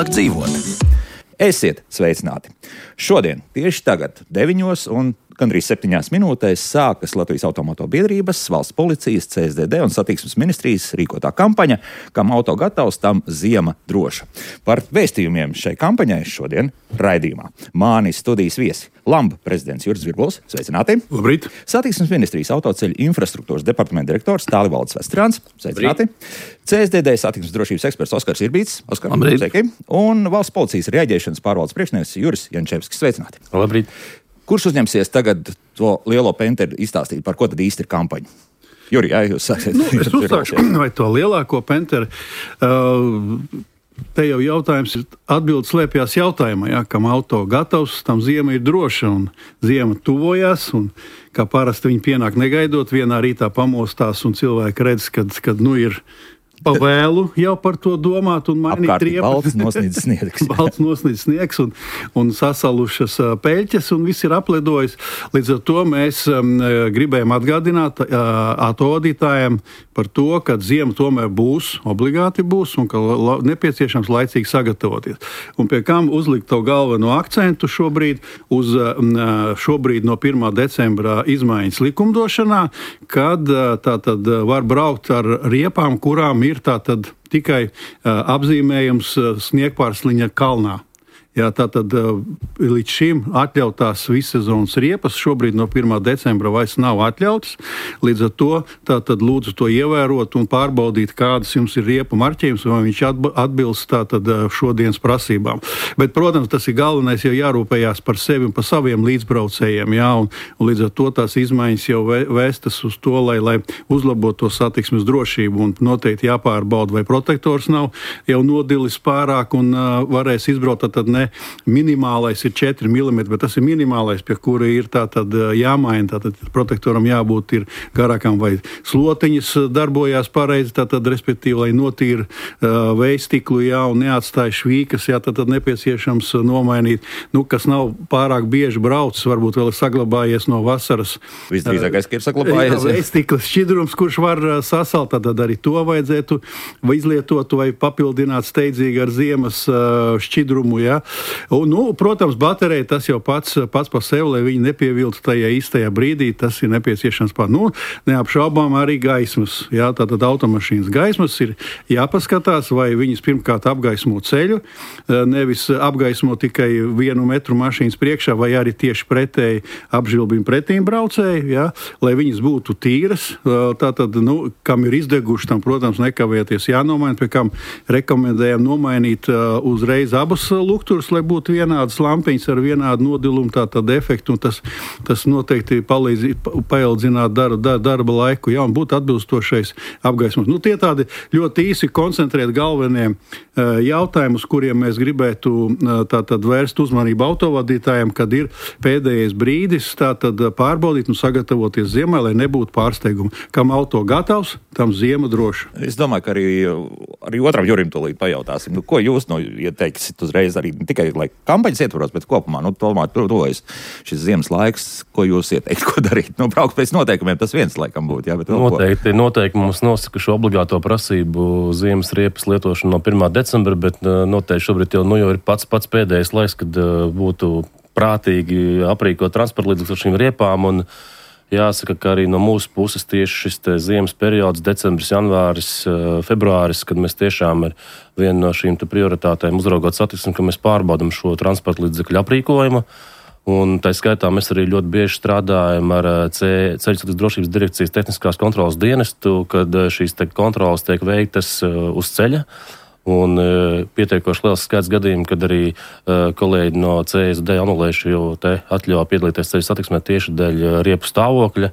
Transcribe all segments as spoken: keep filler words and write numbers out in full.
vieglāk dzīvot. Esiet sveicināti! Šodien, tieši tagad, deviņos un gandrīz septiņās minūtēs sākas Latvijas Automoto biedrības, valsts policijas, C S D D un satiksmes ministrijas rīkotā kampaņa, kam auto gatavs, tam ziema droša. Par vēstījumiem šai kampaņai šodien raidījumā. Mani studijas viesi Lamba prezidents Juris Zvirbuls, sveicināti! Labrīt! Satiksmes ministrijas autoceļu infrastruktūras departamenta direktors Tālivaldis Vestrāns, sveicināti! C S D D satiksmes drošības eksperts Oskars Irbīts, Oskar, sveiki! Un valsts policijas rēģēšanas pārvaldes priekšnieks Juris Jančevskis, sveicināti! Labrīt! Kurš uzņemsies tagad to lielo penteru izstāstīt, par ko tad īsti ir kampaņa? Juri, jā, jūs sāksiet. Nu, es uzsākšu, vai to lielāko penteru. Uh, te jau jautājums ir, atbildes slēpjās jautājumā, jā, kam auto gatavs, tam ziema ir droša un ziema tuvojās. Un, kā parasti viņi pienāk negaidot, vienā rītā pamostās un cilvēki redz, kad, kad nu ir pavēlu jau par to domāt un mainīt riepas. Balts nosnīdz sniegs. Balts nosnīdz sniegs un, un sasalušas uh, peļķes un viss ir apledojis. Līdz ar to mēs um, gribējām atgādināt uh, autovadītājiem par to, ka ziema tomēr būs, obligāti būs un ka la, nepieciešams laicīgi sagatavoties. Un pie kam uzlikt to galveno akcentu šobrīd uz uh, šobrīd no pirmā decembra izmaiņas likumdošanā, kad uh, tātad var braukt ar riepām, kurām ir tātad tikai uh, apzīmējums uh, sniegpārsliņa kalnā. Jā, tātad uh, līdz šim atļautās vissezonas riepas šobrīd no pirmā decembra vairs nav atļautas. Līdz ar to tātad lūdzu to ievērot un pārbaudīt, kādas jums ir riepu marķējums, vai viņš atbilst tātad šodienas prasībām. Bet, protams, tas ir galvenais, jau jārūpējās par sevi un par saviem līdzbraucējiem, jā, un, un līdz ar to tās izmaiņas jau vēstas uz to, lai, lai uzlabotu to satiksmes drošību un noteikti jāpārbauda, vai protektors nav jau nodilis pārāk un uh, varēs izbraukt, tad ne minimālais ir četri milimetri, bet tas ir minimālais, pie kura ir tātad jāmaina, tātad protektoram jābūt ir garākam vai slotiņas darbojās pareizi, tātad respektīvi, lai notīra uh, vējstiklu, jā, un neatstāja švīkas, jā, tātad nepieciešams nomainīt, nu, kas nav pārāk bieži braucis, varbūt vēl ir saglabājies no vasaras. Visdrīzākais, ka ir saglabājies. Jā, vējstiklas šķidrums, kurš var sasalt, tad arī to vajadzētu vai izlietot vai papildināt steidzīgi ar ziemas uh, šķidrumu, jā. Un, nu, protams, baterija tas jau pats, pats par sevi, lai viņi nepieviltu tajā īstajā brīdī, tas ir nepieciešams pār. Nu, neapšaubām arī gaismas. Jā, tātad automašīnas gaismas ir jāpaskatās, vai viņas pirmkārt apgaismo ceļu, nevis apgaismo tikai vienu metru mašīnas priekšā, vai arī tieši pretēji apžilbina pretīm braucēju, jā, lai viņas būtu tīras. Tātad, nu, kam ir izdeguši, tam, protams, nekavēties jānomaina, pie kam rekomendējam nomainīt uzreiz abas lukturus, lai būtu vienādas lampiņas ar vienādu nodilumu, tātad efektu, un tas, tas noteikti palīdz paildzināt darba, dar, darba laiku, jā, un būtu atbilstošais apgaismos. Nu, tie tādi ļoti īsi koncentrēt galvenie uh, jautājumi, uz kuriem mēs gribētu uh, tātad vērst uzmanību autovadītājiem, kad ir pēdējais brīdis tātad pārbaudīt un sagatavoties ziemai, lai nebūtu pārsteigumu. Kam auto gatavs, tam ziema droša. Es domāju, ka arī, arī otram Jurim tūlīt pajautāsim, nu, ko jūs nu, ieteiksit uzreiz arī tikai lai kampaņas ietvaros, bet kopumā, nu, tomēr tuvojas šis ziemas laiks, ko jūs ieteikt, ko darīt? Nu, braukt pēc noteikumiem, tas viens laikam būtu, jā, bet vēl noteikti, ko? Noteikti mums nosaka šo obligāto prasību ziemas riepas lietošanu no pirmā decembra, bet noteikti šobrīd jau, nu, jau ir pats, pats pēdējais laiks, kad būtu prātīgi aprīkot transporta līdzekļus ar šīm riepām, un jāsaka, ka arī no mūsu puses tieši šis ziemas periods, decembris, janvāris, februāris, kad mēs tiešām ar vienu no šīm prioritātēm uzraugot satiksmi, ka mēs pārbaudam šo transporta līdzekļu aprīkojumu. Un tā skaitā mēs arī ļoti bieži strādājam ar ceļu satiksmes drošības direkcijas tehniskās kontrolas dienestu, kad šīs te kontrolas tiek veiktas uz ceļa. Un pietiekoši liels skaits gadījumu, kad arī uh, kolēģi no C S D anulējuši jau te atļauju piedalīties ceļu satiksmē tieši dēļ riepu stāvokļa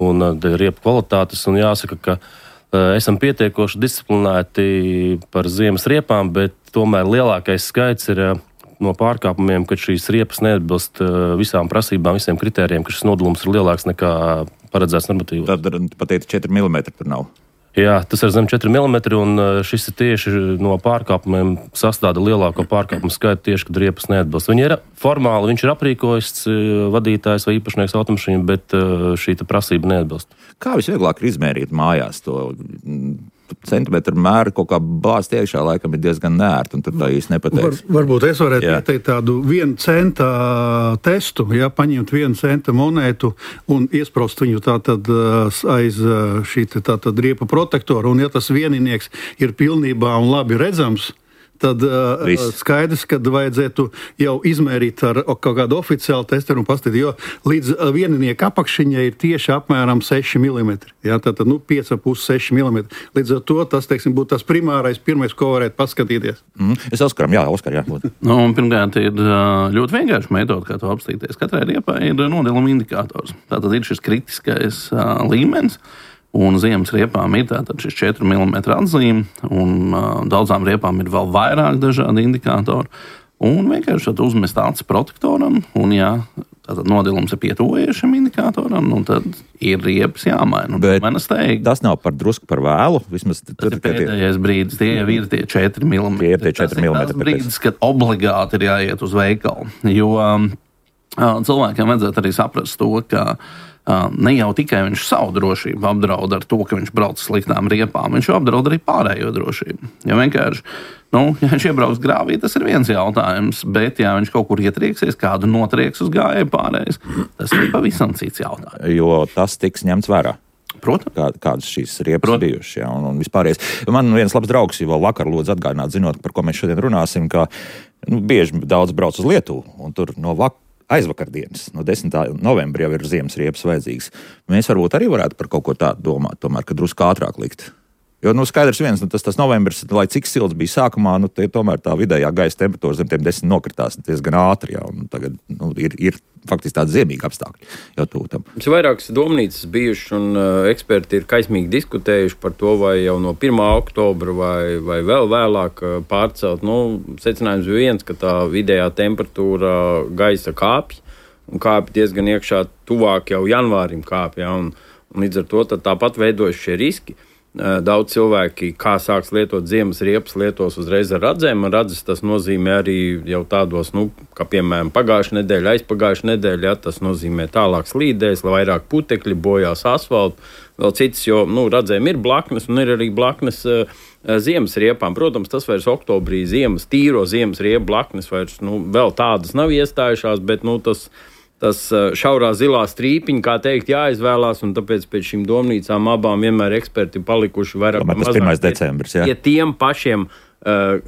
un uh, dēļ riepu kvalitātes. Un jāsaka, ka uh, esam pietiekoši disciplinēti par ziemas riepām, bet tomēr lielākais skaits ir uh, no pārkāpumiem, kad šīs riepas neatbilst uh, visām prasībām, visiem kritērijiem, ka šis nodalums ir lielāks nekā paredzēts normatīvos. Tad pat teikt četri milimetri tur nav. Jā, tas ir zem četri milimetri, un šis ir tieši no pārkāpumiem sastāda lielāko pārkāpumu skaitu tieši, kad riepas neatbilst. Viņi ir formāli, viņš ir aprīkojis vadītājs vai īpašnieks automašīnu, bet šī prasība neatbilst. Kā visvieglāk ir izmērīt mājās to centimetru mēru kaut kā bāzt iekšā, laikam ir diezgan nērti, un tur tā īsti nepateiks. Var, varbūt es varētu jā. ieteikt tādu vienu centa testu, ja, paņemt vienu centa monētu un iesprost viņu tātad aiz šī tātad riepa protektora, un ja tas vieninieks ir pilnībā un labi redzams, tad uh, skaidrs, ka vajadzētu jau izmērīt ar kaut kādu oficiālu testeru un paskatīt, jo līdz vieninieka apakšiņai ir tieši apmēram seši milimetri. Jā, tātad, nu, pieci pus seši milimetri. Līdz ar to tas, teiksim, būtu tas primārais, pirmais, ko varētu paskatīties. Mm. Es Oskaram, jā, Oskar, jā. Nu, pirmkārt, ir ļoti vienkārši metode, kā to apstīties. Katrai riepai ir nodaluma indikators. Tātad ir šis kritiskais uh, līmenis. Un ziemas riepām ir tātad šis četru milimetru atzīme, un uh, daudzām riepām ir vēl vairāk dažādi indikātori. Un vienkārši tad uzmest acis protektoram, un jā, tātad nodilums ir pietuvojies šim indikātoram, un tad ir riepas jāmaina. Bet tas nav par drusku par vēlu. Vismaz tas tur, ir pēdējais tie... brīdis, tie jau ir tie četri milimetri. Tie ir tie četri milimetri. Tas ir brīdis, kad obligāti ir jāiet uz veikalu, jo um, cilvēkiem vajadzētu arī saprast to, ka Uh, ne jau tikai viņš savu drošību apdraud ar to, ka viņš brauc sliktām riepām, viņš jau apdraud arī pārējo drošību. Ja vienkārši, nu, ja viņš iebrauks grāvī, tas ir viens jautājums, bet ja viņš kaut kur ietrieksies, kādu notrieks uz gājēju pārējais, tas ir pavisam cits jautājums. Jo tas tiks ņemts vērā. Protams. Kā, kādas šīs riepas bijušas, jā, un, un vispārējais. Man viens labs draugs jau vakar lūdzu atgādināt, zinot, par ko mēs šodien runāsim, ka nu, bieži daudz brauc uz Lietuvu, un tur no vakar aizvakardienas, no desmitā novembra jau ir ziemas riepas vajadzīgas. Mēs varbūt arī varētu par kaut ko tādu domāt, tomēr, ka drusku ātrāk likt. Jo, nu, skaidrs viens, nu, tas, tas novembris, lai cik silts bija sākumā, nu, tie, tomēr tā vidējā gaisa temperatūra zem tiem desmit nokritās diezgan ātri, jā, un tagad, nu, ir, ir faktiski tādi ziemīgi apstākļi jau tūtam. Mums ir vairākas domnīcas bijušas, un uh, eksperti ir kaismīgi diskutējuši par to, vai jau no pirmā oktobra vai, vai vēl vēlāk uh, pārcelt. Nu, secinājums bija viens, ka tā vidējā temperatūra gaisa kāpj, un kāpj diezgan iekšā tuvāk jau janvārim kāpj, ja, un, un līdz ar to tāpat veidojas šie riski. Daudz cilvēki, kā sāks lietot ziemas riepas, lietos uzreiz ar radzēm. Radzes tas nozīmē arī jau tādos, nu, kā piemēram pagājušā nedēļa, aizpagājušā nedēļa, ja, tas nozīmē tālāk slīdēs, vairāk putekļi, bojās asfaltu, vēl citas, jo, nu, radzēm ir blaknes un ir arī blaknes uh, ziemas riepām. Protams, tas vairs oktobrī ziemas, tīro ziemas riepu blaknes vairs, nu, vēl tādas nav iestājušās, bet, nu, tas Tas šaurā zilā strīpiņa, kā teikt, jāizvēlās, un tāpēc pēc šīm domnīcām abām vienmēr eksperti palikuši vairāk vai mazāk pirmais decembris, jā. Ja tiem pašiem uh,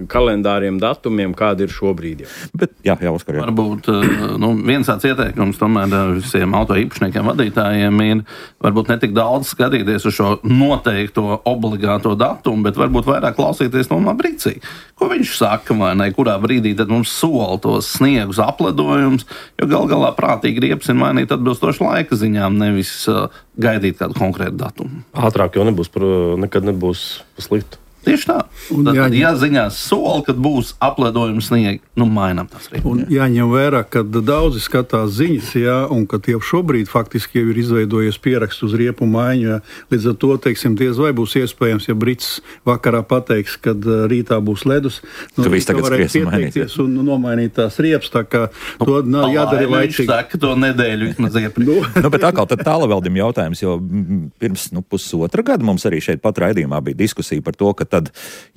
kalendāriem datumiem, kādi ir šobrīd. Jā. Bet, jā, jā, Oskar, jā. Varbūt nu, viens tāds ieteikums tomēr visiem auto īpašniekiem, vadītājiem ir varbūt ne tik daudz skatīties uz šo noteikto obligāto datumu, bet varbūt vairāk klausīties no brīcī. Ko viņš saka, vai ne, kurā brīdī tad mums sola tos sniegus apledojumus, jo gal galā prātīgi riepas ir mainīt atbilstoši laika ziņām, nevis uh, gaidīt kādu konkrētu datumu. Ātrāk jau nebūs, par, nekad nebūs slikti. Tieši tā. Tad, tad jāziņās soli, kad būs apledojumi sniegi, nu mainām tas rīk. Un jāņem vērā, ka daudzi skatās ziņas, jā, un ka jau šobrīd faktiski jau ir izveidojies pieraksts uz riepu maiņu, jā. Līdz ar to, teiksim, diez vai būs iespējams, ja Brits vakarā pateiks, kad rītā būs ledus, nu, tu varētu pieteikties un nomainīt tās riepas, tā kā nu, to nav jādara laicīgi. Viņš saka to nedēļu vismaz iepriekš. nu, nu, bet atkal tad tālaveldim jautājums, jo pirms nu, pusotra gada mums arī šeit pat raidījumā bija diskusija par to, ka tad,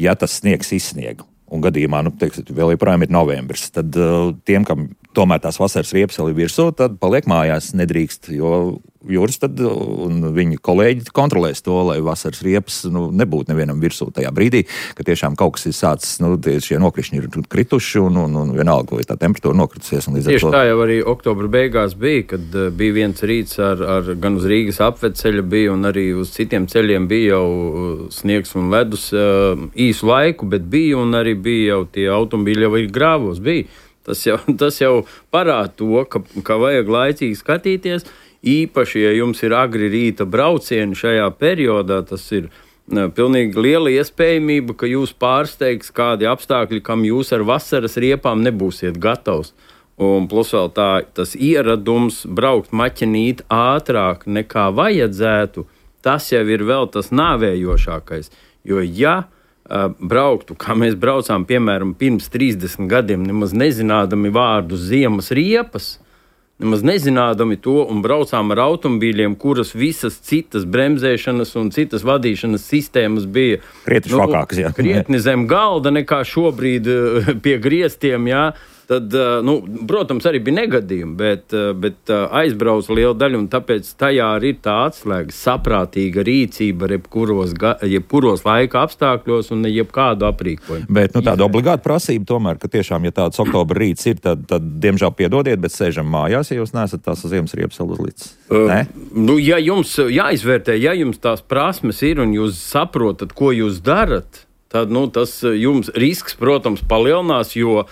ja tas sniegs izsniega, un gadījumā, nu, teiks, vēl joprojām ir novembris, tad uh, tiem, kam tomēr tās vasaras riepas vēl ir virsū, tad paliek mājās, nedrīkst, jo jūras tad un viņi kolēģi kontrolēs to, lai vasaras riepas nu, nebūtu nevienam virsū tajā brīdī, ka tiešām kaut kas ir sācis, nu, šie nokrišņi ir krituši un, un, un vienalga, vai tā temperatūra nokritusies. Un līdz Tieši ar to... tā jau arī oktobra beigās bija, kad uh, bija viens rīts ar, ar gan uz Rīgas apvedceļa bija un arī uz citiem ceļiem bija jau sniegs un ledus uh, īsu laiku, bet bija un arī bija jau tie automobīļi jau ir grāvos, bija. Tas jau, tas jau parāda to, ka, ka vajag laicīgi skatīties, īpaši, ja jums ir agri rīta braucieni šajā periodā, tas ir ne, pilnīgi liela iespējamība, ka jūs pārsteigs kādi apstākļi, kam jūs ar vasaras riepām nebūsiet gatavs. Un plus vēl tā, tas ieradums braukt maķenīt ātrāk nekā vajadzētu, tas jau ir vēl tas nāvējošākais. Jo ja brauktu, kā mēs braucām, piemēram, pirms trīsdesmit gadiem, nemaz nezinādami vārdu ziemas riepas, nemaz nezinādami to, un braucām ar automobīļiem, kuras visas citas bremzēšanas un citas vadīšanas sistēmas bija krietni švakākas, jā. Krietni zem galda nekā šobrīd pie griestiem, jā. Tad, nu, protams, arī bija negadījumi, bet, bet aizbrauca liela daļa, un tāpēc tajā arī ir tā atslēga saprātīga rīcība jebkuros, jebkuros laika apstākļos un jebkādu aprīkojumu. Bet nu, tāda obligāta prasība tomēr, ka tiešām, ja tāds oktobra rīts ir, tad, tad diemžēl piedodiet, bet sēžam mājās, ja jūs neesat tās ziemas riepas uzlicis. Uh, nu, ja jums jāizvērtē, ja jums tās prasmes ir un jūs saprotat, ko jūs darat, tad nu, tas jums risks, protams, palielinās, jo uh,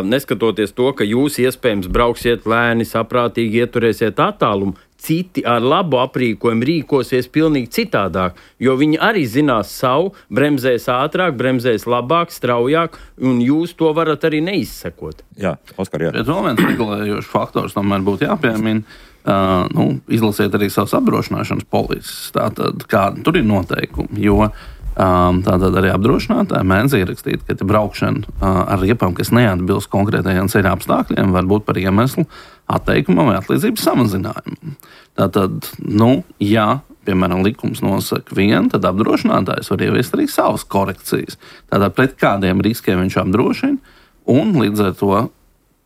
neskatoties to, ka jūs iespējams brauksiet lēni, saprātīgi ieturēsiet attālumu, citi ar labu aprīkojumu rīkosies pilnīgi citādāk, jo viņi arī zinās savu, bremzēs ātrāk, bremzēs labāk, straujāk, un jūs to varat arī neizsekot. Jā, Oskar, jā. Bet vēl viens regulējošs faktors tomēr būtu jāpiemina. Uh, nu, izlasiet arī savas apdrošināšanas polises, tātad kādi tur ir noteikumi, jo Um, tātad arī apdrošinātāji mēdz ierakstīt, ka braukšana uh, ar riepām, kas neatbilst konkrētajiem ceļa apstākļiem, var būt par iemeslu atteikumam vai atlīdzības samazinājumam. Tātad, nu, ja, piemēram, likums nosaka vienu, tad apdrošinātājs var ieviest arī savas korekcijas. Tātad pret kādiem riskiem viņš apdrošina, un līdz ar to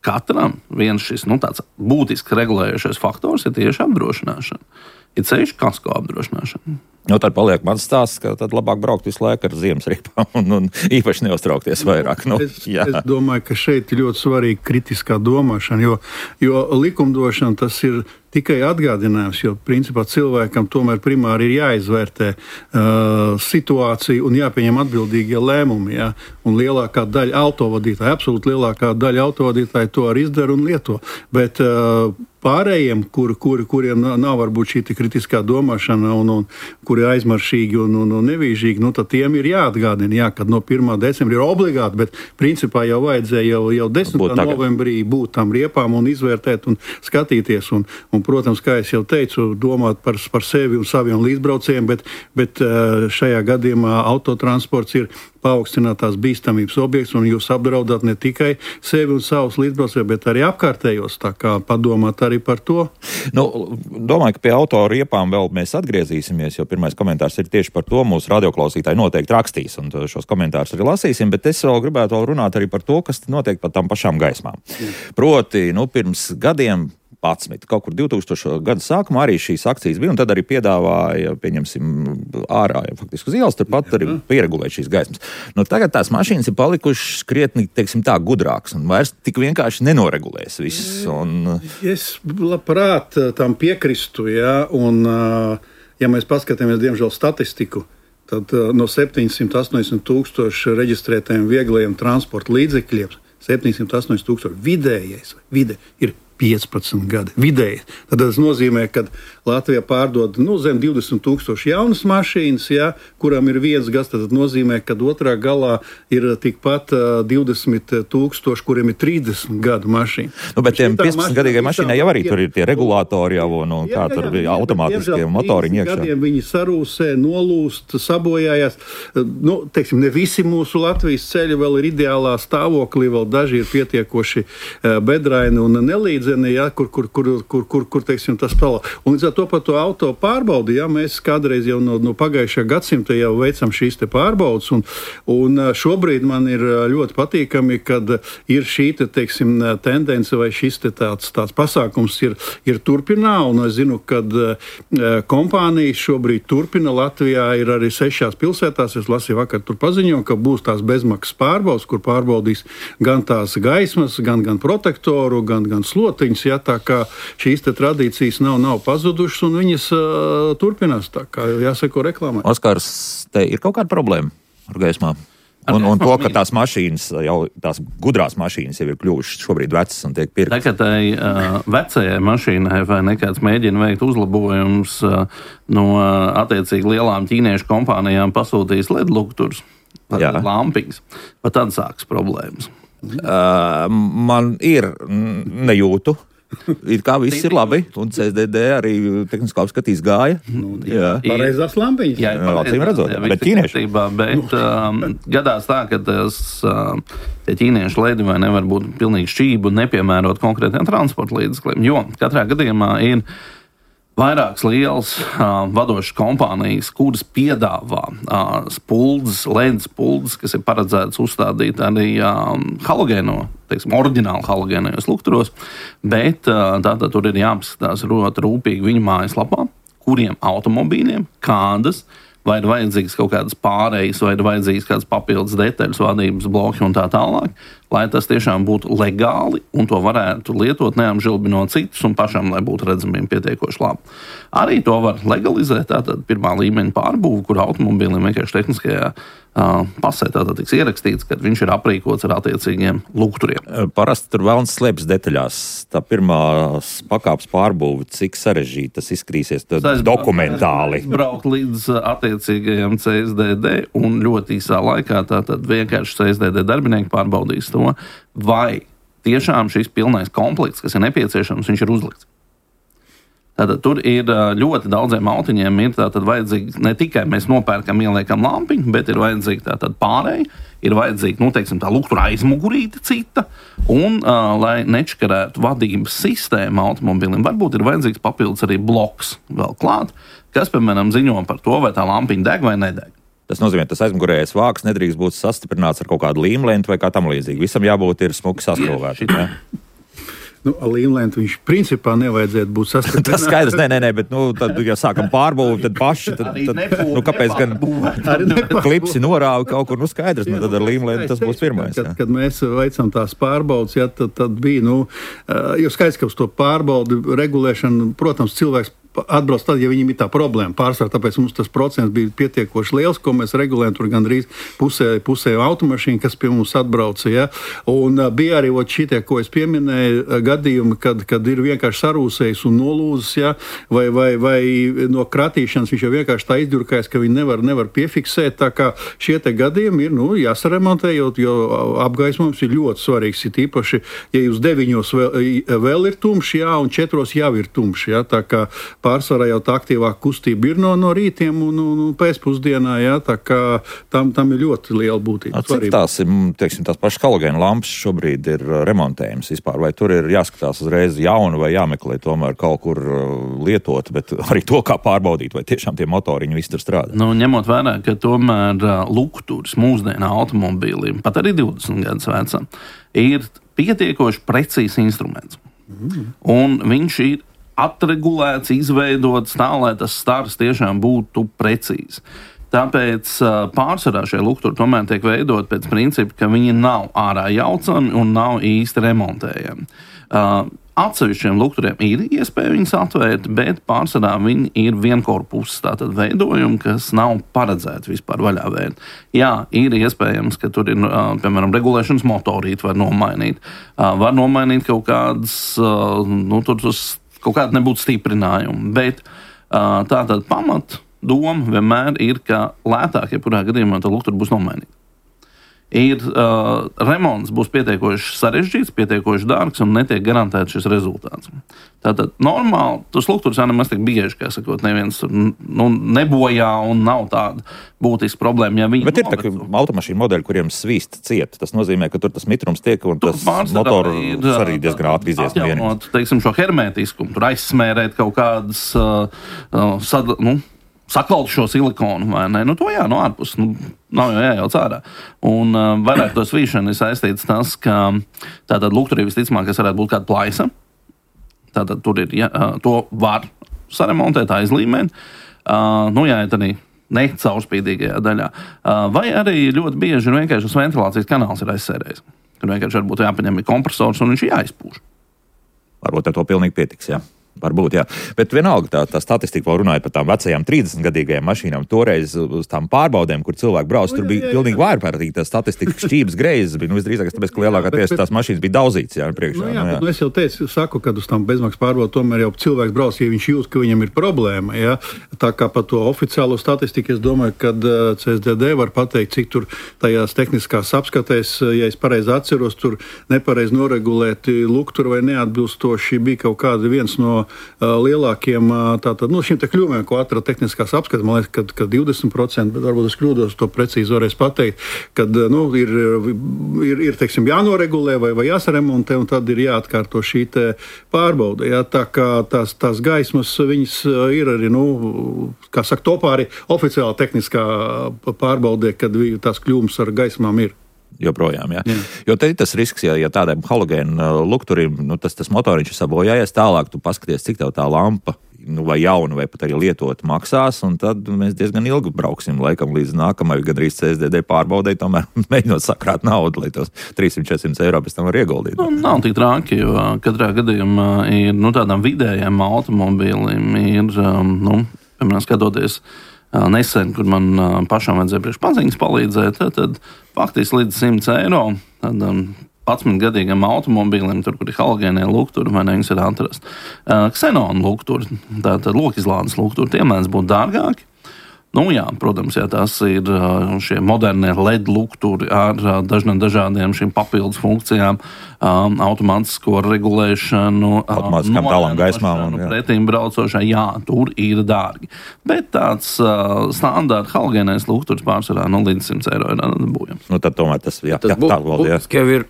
katram viens šis nu, tāds būtisks regulējošais faktors ir tieši apdrošināšana. Ir ceļš kasko apdrošināšana. Nu, tad paliek mans stāsts, ka tad labāk braukt visu laiku ar ziemas riepām un, un īpaši neuztraukties vairāk. Nu, es, es domāju, ka šeit ir ļoti svarīga kritiskā domāšana, jo, jo likumdošana tas ir tikai atgādinājums, jo principā cilvēkam tomēr primāri ir jāizvērtē uh, situācija un jāpieņem atbildīgie lēmumi. Ja? Un lielākā daļa autovadītāju, absolūti lielākā daļa autovadītāju to arī izdara un lieto. Bet uh, pārējiem, kur, kur, kuriem nav varbūt šī kritiskā domāšana un, un kuri ir aizmaršīgi un, un, un nevīžīgi, nu, tad tiem ir jāatgādina, jā, kad no pirmā decembra ir obligāti, bet principā jau vajadzēja jau, jau desmitā novembrī būt tam riepām un izvērtēt un skatīties. Un, un, protams, kā es jau teicu, domāt par, par sevi un saviem līdzbraucējiem, bet, bet šajā gadījumā autotransports ir paaugstinātās bīstamības objekts, un jūs apdraudat ne tikai sevi un savus līdzbraucējus, bet arī apkārtējos, tā kā padomāt arī par to. Nu, domāju, ka pie auto riepām vēl mēs atgriezīsimies, jo pirmais komentārs ir tieši par to, mūsu radioklausītāji noteikti rakstīs, un šos komentārus arī lasīsim, bet es vēl gribētu vēl runāt arī par to, kas notiek par tām pašām gaismām. Proti, nu, pirms gadiem padsmit. Kaut kur divtūkstošo gadu sākumā arī šīs akcijas bija, un tad arī piedāvāja, pieņemsim, ārā, ja faktiski uz ielas, turpat arī pieregulēt šīs gaismas. Nu, tagad tās mašīnas ir palikušas krietni, teiksim tā, gudrākas, un vairs tik vienkārši nenoregulēs viss. Un... Es labprāt tam piekristu, jā, un ja mēs paskatāmies, diemžēl, statistiku, tad no septiņsimt astoņdesmit tūkstoši reģistrētajiem vieglajiem transporta līdzekļiem, septiņsimt astoņdesmit tūkstoši vidējais, vide ir piecpadsmit gadi. Vidēji. Tad tas nozīmē, ka Latvijā pārdod nu, zem divdesmit tūkstoši jaunas mašīnas, ja, kurām ir viens gads. Tad nozīmē, ka otrā galā ir tikpat uh, divdesmit tūkstoši, kuriem ir trīsdesmit gadu mašīna. Nu, bet tiem piecpadsmitgadīgai mašīnai jau arī tur ir tie regulātori jau un jā, kā jā, tur jā, automātiskie motoriņi iekšā. Gadiem viņi sarūsē, nolūst, sabojājās. Nu, teiksim, ne visi mūsu Latvijas ceļi vēl ir ideālā stāvoklī, vēl daži ir pietiekoši uh, bedraini un nelīdzi. Ja, kur, kur, kur, kur, kur, kur teiksim, tas palā. Un līdz ar to par to auto pārbaudi, ja, mēs kādreiz jau no, no pagājušā gadsimta jau veicam šīs te pārbaudas, un, un šobrīd man ir ļoti patīkami, kad ir šī te, teiksim, tendence vai šis te tāds, tāds pasākums ir, ir turpinā, un es zinu, kad kompānijas šobrīd turpina. Latvijā ir arī sešās pilsētās, es lasīju vakar tur paziņo, ka būs tās bezmaksas pārbaudas, kur pārbaudīs gan tās gaismas, gan, gan protektoru, gan, gan sloti. Ja, tā kā šīs tradīcijas nav, nav pazudušas, un viņas uh, turpinās, tā kā jāseko reklāmai. Oskars, te ir kaut kāda problēma ar gaismām? Un, un to, ka tās mašīnas, jau tās gudrās mašīnas jau ir kļuvušas šobrīd vecas un tiek pirktas. Tagad tai uh, vecajai mašīnai vai nekāds mēģina veikt uzlabojums uh, no uh, attiecīgi lielām ķīniešu kompānijām pasūtījis L E D lukturs, lampiņas, pat tad sāks problēmas. Uh, man ir nejūtu It kā viss ir labi, un C S D D arī tehniskā apskatīs gāja. Nu, jā, pareizās lampiņas. Jā, jā, acīm redzot, bet ķīnieši. Bet um, gadās tā, ka tas, um, tie ķīnieši ledi vai nevar būt pilnīgi šķību un nepiemērot konkrētiem transporta līdzekļiem, jo katrā gadījumā ir vairākas lielas uh, vadošas kompānijas, kuras piedāvā uh, spuldzes, ledus spuldzes, kas ir paredzētas uzstādīt arī um, halogēno, teiksim, oriģināli halogēnajos lukturos, bet uh, tātad tur ir jāapskatās ļoti rūpīgi viņu mājaslapā, kuriem automobīļiem, kādas, vai ir vajadzīgas kaut kādas pārējas, vai ir vajadzīgas kādas papildus detaļas, vadības bloki un tā tālāk, lai tas tiešām būtu legāli un to varētu lietot neapžilbinot citus un pašam, lai būtu redzamiem pietiekoši labi. Arī to var legalizēt, tātad pirmā līmeņa pārbūve, kur automobīlim vienkārši tehniskajā uh, pasē tātad tiks ierakstīts, ka viņš ir aprīkots ar attiecīgiem lukturiem. Parasti tur vēlns slēpjas detaļās. Tā pirmā pakāpes pārbūve, cik sarežģīti tas izskatīsies dokumentāli. Braukt līdz attiecīgajam C S D D un ļoti īsā laikā tātad vienkārši C S D D darbinieki pārbaudīs to, vai tiešām šis pilnais komplekts, kas ir nepieciešams, viņš ir uzlikts. Tātad tur ir ļoti daudziem autiņiem ir tātad vajadzīgi ne tikai mēs nopērkam, ieliekam lampiņu, bet ir vajadzīgi tātad pārēji, ir vajadzīgi, nu, teiksim, tā luktura aizmugurīte cita, un, uh, lai nečkarētu vadības sistēmu automobilim, varbūt ir vajadzīgs papildus arī bloks vēl klāt, kas, piemēram, ziņo par to, vai tā lampiņa deg vai nedeg. Tas nozīmē, ka tas aizmugurējais vāks nedrīkst būt sastiprināts ar kaut kādu līmlentu vai kā tam līdzīgi. Visam jābūt ir smuki saskrūvēti. Nu, līmlentu viņš principā nevajadzētu būt sastiprināts. Tas skaidrs, nē, nē, nē, bet, nu, tad, ja sākam pārbūvi, tad paši, tad, tad nu, kāpēc gan klipsi norāvi kaut kur, nu, skaidrs, nu, tad ar līmlentu tas būs pirmais. Kad, kad mēs veicam tās pārbaudas, ja, tad, tad bija, nu, jo skaidrs, ka uz to pārbaudu regulēšanu, protams, cilvēks atbrauc tad, ja viņiem ir tā problēma pārsvarā, tāpēc mums tas procents bija pietiekoši liels, ko mēs regulējam tur gandrīz pusē, pusē automašīnu, kas pie mums atbrauca, ja? Un uh, bija arī šitie, ko es pieminēju, gadījumi, kad, kad ir vienkārši sarūsējis un nolūzis, ja? vai, vai, vai no kratīšanas viņš jau vienkārši tā izdurkājas, ka viņi nevar, nevar piefiksēt, tā kā šie te gadījumi ir, nu, jāsaremontē, jo, jo apgaismojums ir ļoti svarīgs, ir īpaši, ja jūs deviņos vēl, vēl ir tumši, jā, un četros jau ir tumši, ja? Tā kā pārsvarā jau tā aktīvāka kustība ir no, no rītiem un, un, un pēcpusdienā, jā, tā kā tam, tam ir ļoti liela būtība. Cik tās ir, teiksim, tās pašas halogēna lampas šobrīd ir remontējums vispār, vai tur ir jāskatās uzreiz jaunu vai jāmeklē tomēr kaut kur lietot, bet arī to, kā pārbaudīt, vai tiešām tie motoriņi visi tur strādā? Nu, ņemot vērā, ka tomēr lukturs mūsdienu automobīliem, pat arī divdesmit gadus vecam, ir pietiekoši precīzs instruments. Mm. Un viņš ir atregulēts, izveidots tā, lai tas stars tiešām būtu precīzi. Tāpēc pārsvarā šie lukturi tomēr tiek veidot pēc principa, ka viņi nav ārā jaucami un nav īsti remontējami. Atsevišķiem lukturiem ir iespēja viņus atvērt, bet pārsvarā viņi ir vienkorpuses tātad veidojumi, kas nav paredzēti vispār vaļā vērt. Jā, ir iespējams, ka tur ir, piemēram, regulēšanas motorīti var nomainīt. Var nomainīt kaut kādas, nu, tur tas kaut kāda nebūtu stiprinājuma, bet uh, tātad pamat doma vienmēr ir, ka lētāk, ja kurā gadījumā tā luktura būs nomainīta. Ir uh, remonts būs pietiekoši sarežģīts, pietiekoši dārgs un netiek garantēts šis rezultāts. Tātad normāli, tas lukturs jau nemaz tik bieži, kā sakot, neviens nu, nebojā un nav tāda būtiska problēma. Ja bet ir tā, automašīnu modeļi, kuriem svīst ciet. Tas nozīmē, ka tur tas mitrums tiek un tas motoru arī diezgan ātri izies no vienības. Teiksim, šo hermētiskumu, tur aizsmērēt kaut kādas uh, uh, sad, nu, saklaut šo silikonu, vai ne? Nu, to jā, no ārpus, nu, nav jau jājauc ārā. Un uh, vairāk to svīšanu ir saistīts tas, ka tātad lukturī visticamāk, kas varētu būt kāda plaisa. Tātad tur ir, ja, uh, to var saremontēt, aizlīmēt. Uh, nu, jā, tad arī ne caurspīdīgajā daļā. Uh, vai arī ļoti bieži ir vienkārši tas ventilācijas kanāls ir aizsērējis. Tur vienkārši varbūt jāpaņem kompresors un viņš ir jāizpūš. Varbūt ar to pilnīgi pietiks, jā. Varbūt, jā. Bet vienalga tā, tā statistika, vēl runājot par tām vecajām trīsdesmitgadīgajām mašīnām, toreiz uz tām pārbaudēm, kur cilvēki brauc, tur bija pilnīgi vājprātīgi tā statistika, šķības greizes bija, nu visdrīzāk, tāpēc, ka lielākā tiesa tās mašīnas bija daudzītas, jā, priekšā. Nu, jā, nu, jā. Bet, nu, es jau teicu, saku, kad uz tām bezmaksas pārbaudu tomēr jau cilvēks brauc, ja viņš jūt, ka viņam ir problēma, jā. Tā kā par to oficiālo statistiku, es domāju, kad C S D D var pateikt, cik tur tajās tehniskās apskatēs, ja es pareizi atceros, tur nepareizi noregulēti lukturi vai neatbilstoši bija kaut kāda viens no lielākiem tātad, nu, šiem te kļūmēm, ko atrada tehniskās apskates, man liekas, kad, kad divdesmit procenti, bet varbūt es kļūdos, to precīzi varēs pateikt, kad, nu, ir, ir, ir teiksim, jānoregulē vai, vai jāsaremontē, un tad ir jāatkārto šī te pārbaude. Jā, tā kā tās, tās gaismas, viņas ir arī, nu, kā saka, topā arī oficiāli tehniskā pārbaudē, kad tās kļūmes ar gaismām ir. Joprojām, jā. jā. Jo te ir tas risks, ja, ja tādiem halogēnu lukturiem, nu, tas, tas motoriņš ir sabojājies, tālāk tu paskaties, cik tev tā lampa, nu, vai jauna, vai pat arī lietot maksās, un tad mēs diezgan ilgi brauksim, laikam, līdz nākamai, gandrīz C S D D pārbaudei, tomēr mēģinot sakrāt naudu, lai tos trīssimt līdz četrsimt eiro pēc tam var ieguldīt. Nu, nav tik traki, jo katrā gadījumā ir, nu, tādām vidējām automobīlim ir, nu, piemēram, skatoties nesen, kur man pašam vajadzēja priekš paziņas palīdzēt, tad, tad faktiski līdz simt eiro tādam padsmitgadīgam automobīlim, tur, kur ir halogēnie lukturi, vai ne, viņas var atrast. Ksenona lukturi, tātad lokizlādes lukturi, tie mēdz būt dārgāki. Nu jā, protams, jā, tās ir šie modernie L E D lukturi ar dažniem dažādiem šīm papildus funkcijām, um, automātisko regulēšanu, automātiskām tālām gaismām. Pretīm braucošai, jā, tur ir dārgi. Bet tāds uh, standārta halogēnais lukturs pārsvarā no līdz simt eiro ir dabūjams. Nu tad tomēr tas, jā, tas jā, tā valda, jā. Tas jau ir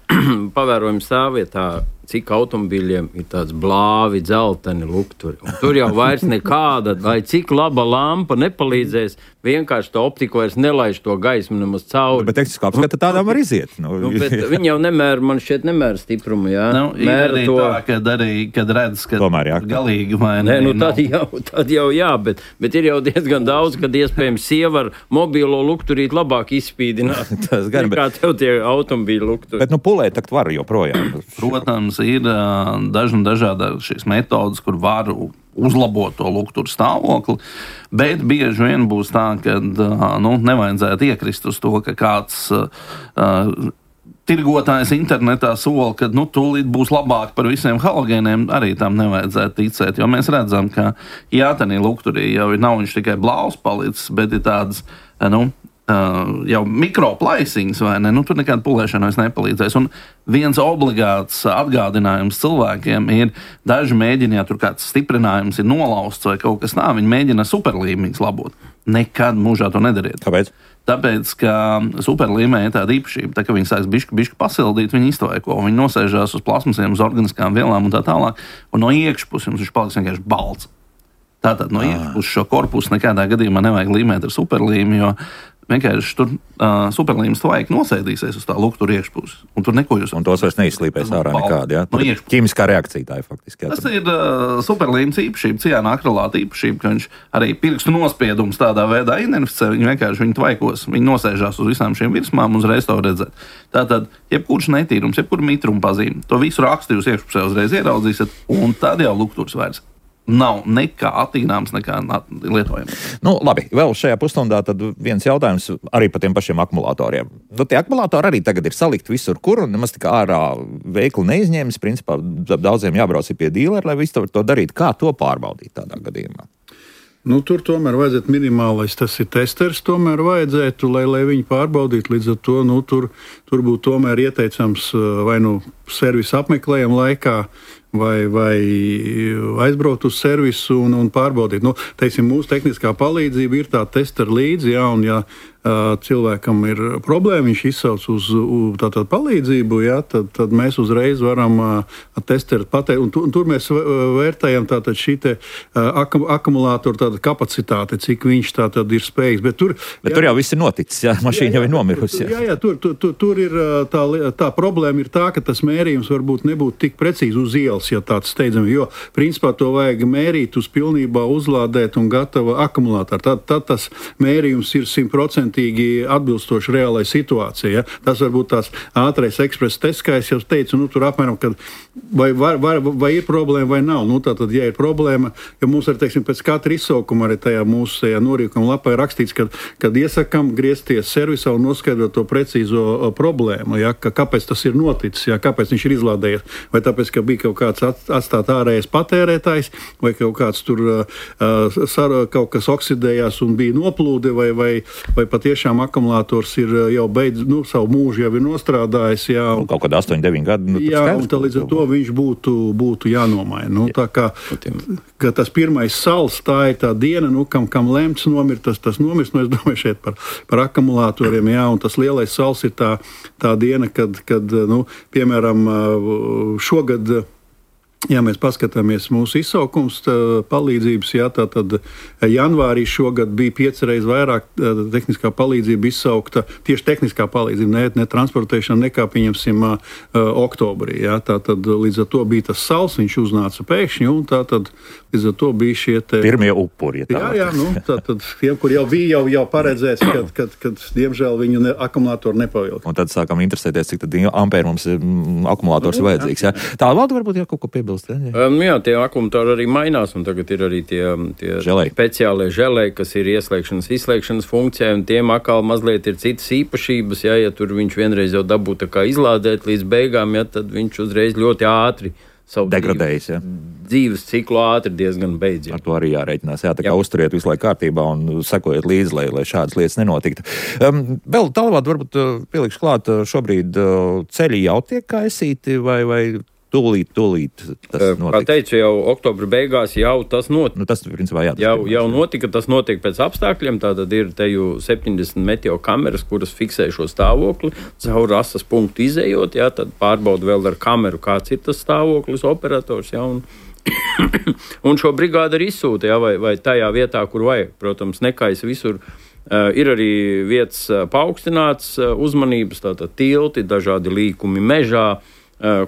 pavērojums stāvvietā, cik automobīļiem ir tāds blāvi, dzelteni lukturi. Un tur jau vairs nekāda, lai cik laba lampa nepalīdzēs, vienkārši to optiku vairs nelaiž to gaismu nemaz cauri. Bet tehniski apskata tādām var iziet. Nu, nu, bet viņi jau nemēra, man šķiet, nemēra stiprumu, jā. Nu, mēra arī to. Tā, kad arī, kad redz, ka tomēr, jā, galīgi vai ne. Nē, nu tad nav. jau, tad jau jā, bet, bet ir jau diezgan daudz, kad iespējams sieva ar mobilo lukturīt labāk izspīdināt. Tas gan, nekā bet... tev tie automobīļu lukturi. Bet, nu, pulēt takt var joprojām. Protams, ir dažna dažāda šīs metodas, kur varu uzlabot to lukturu stāvokli, bet bieži vien būs tā, ka nu, nevajadzētu iekrist uz to, ka kāds uh, tirgotājs internetā sola, ka nu, tūlīt būs labāk par visiem halogēniem, arī tam nevajadzētu ticēt, jo mēs redzam, ka jā, tenī lukturī jau nav viņš tikai blāvs palicis, bet ir tāds, nu, Uh, jau mikroplaisiņas, vai ne? Nu, tur nekāda pulēšana vairs nepalīdzēs. Un viens obligāts atgādinājums cilvēkiem ir, daži mēģina, ja tur kāds stiprinājums ir nolausts vai kaut kas tā, viņi mēģina superlīmeņus labot. Nekad mūžā to nedariet. Kāpēc? Tāpēc, ka superlīmeņa ir tāda īpašība, tā, ka viņi sāks bišķi, bišķi pasildīt, viņi iztvaiko, viņi nosēžās uz plasmasiem, uz organiskām vielām un tā tālāk, un no iekšpuses viņš paliks vienkārši balts. Tātad no iekšpuses šo korpusu nekādā gadījumā nevajag līmēt ar superlīmi, jo vienkārši tur uh, superlīmes tvaiki nosēdīsies uz tā luktura iekšpuses. Un tur neko jūs... Un tos vairs neizslīpēs ārā nekādi, jā? No ķīmiskā reakcija tā ir faktiski. Jā, tas ir uh, superlīmes īpašība, ciāna akrilāta īpašība, ka viņš arī pirkstu nospiedums tādā veidā identificē, viņi vienkārši viņi tvaikos, viņi nosēžās uz visām šīm virsmām un uzreiz to redzēt. Tātad, jebkurš netīrums, jebkur mitruma pazīme, to visu rakstu jūs iekšpusē uzreiz ieraudzīsiet, un tad jau lukturs vairs nav nekā attīrāms, nekā lietojams. Nu, labi, vēl šajā pusstundā tad viens jautājums arī par tiem pašiem akumulatoriem. Nu, tie akumulatori arī tagad ir salikti visur, kur, un nemaz tik ārā veikli neizņēmis. Principā daudziem jābrauc pie dīlera, lai visu to darītu. Kā to pārbaudīt tādā gadījumā? Nu, tur tomēr vajadzētu minimālais, tas ir testers, tomēr vajadzētu, lai, lai viņi pārbaudītu. Līdz ar to nu, tur, tur būtu tomēr ieteicams vai nu servisa apmeklējuma laikā, vai, vai aizbraukt uz servisu un, un pārbaudīt. Nu, teiksim, mūsu tehniskā palīdzība ir tā testera līdzi, jā, un ja uh, cilvēkam ir problēma, viņš izsauc uz, uz tātad palīdzību, jā, tad, tad mēs uzreiz varam uh, testeru pateikt, un, tu, un tur mēs vērtējam tātad šī te uh, akum, akumulātoru tātad kapacitāte, cik viņš tātad ir spējīgs. Bet tur, Bet jā, tur jau viss ir noticis, jā, mašīna jā, jā, jau ir nomirusi. Jā, jā, jā tur, tur, tur, tur ir tā, tā problēma ir tā, ka tas mērījums varbūt nebūtu tik precīzi uz ielas. cels, ja tāds steidzami, jo principā to vajag mērīt uz pilnībā uzlādēt un gatava akumulātāru. Tad, tad tas mērījums ir simtprocentīgi atbilstoši reālai situācijai. Ja? Tas varbūt tās ātrais ekspress tests, kā es jau teicu, nu, tur apmēram, kad vai, var, var, vai ir problēma vai nav. Nu, tātad, ja ir problēma, jo mums arī, teiksim, pēc katra izsaukuma arī tajā mūsu tajā norīkuma lapā ir rakstīts, kad, kad iesakam griezties servisā un noskaidrot to precīzo uh, problēmu, ja? Ka, kāpēc tas ir noticis, ja? Kāpēc viņš ir izlādējies. Vai tāpēc, ka bija kaut kāds at, atstāt ārējais patērētājs, vai kaut kāds tur uh, sar, kaut kas oksidējās un bija noplūde, vai, vai, vai patiešām akumulātors ir jau beidz, nu, savu mūžu jau ir nostrādājis. Jā, un, kaut kādā astoņi deviņi gadi. Nu, jā, un tā līdz ar to viņš būtu, būtu jānomaina. Nu, tā kā, ka tas pirmais sals, tā ir tā diena, nu, kam, kam lemts nomirt, tas, tas nomirs. Nu, es domāju šeit par, par akumulātoriem, jā, un tas lielais sals ir tā, tā diena, kad, kad nu, piemēram, šogad, ja mēs paskatāmies mūsu izsaukums palīdzības, jā, tā tad janvārī šogad bija pieci reiz vairāk tehniskā palīdzība izsaukta, tieši tehniskā palīdzība, ne, ne transportēšana, nekā pieņemsim oktobrī, jā, tā tad līdz ar to bija tas sals, viņš uznāca pēkšņi, un tā tad līdz ar to bija šie te... Pirmie upuri, ja tā. Jā, jā, nu, tā tad tiem, kur jau bija jau, jau paredzēts, kad, kad, kad diemžēl viņu ne, akumulātori nepavilka. Un tad sākām interesēties, cik tad ampēri mums akumulators ir vajadzīgs, jā. Tā valda varbūt jau kaut ko piebilst. Um, jā, tie akumulātori arī mainās, un tagad ir arī tie, tie speciālie želēji, kas ir ieslēgšanas, izslēgšanas funkcijai, un tiem atkal mazliet ir citas īpašības, jā, ja tur viņš vienreiz jau dabū tā kā izlādēt līdz beigām, jā, tad viņš uzreiz ļoti ātri savu degradējas, jā. Dzīves ciklu ātri diezgan beidz. Jā. Ar to arī jārēķinās, jā, tā kā jā. Uzturiet visu laiku kārtībā un sekojiet līdzi, lai, lai šādas lietas nenotiktu. Um, vēl tālāk varbūt pielikšu klāt, šobrīd ceļi jau tiek kaisīti vai, vai tūlīt, tūlīt tas notika. Kā teicu, jau oktobra beigās jau tas notika. Nu, tas, principā, jā, tas jau, jau notika, tas notiek pēc apstākļiem, tātad ir te jau septiņdesmit meteo kameras, kuras fiksē šo stāvokli, caur asas punktu izējot, jā, tad pārbauda vēl ar kameru, kāds ir tas stāvoklis, operators, jā, un, un šo brigādu arī izsūta, jā, vai, vai tajā vietā, kur vajag. Protams, nekais visur. Uh, ir arī vietas uh, paaugstināts uh, uzmanības, tātad tilti, dažādi līkumi mežā,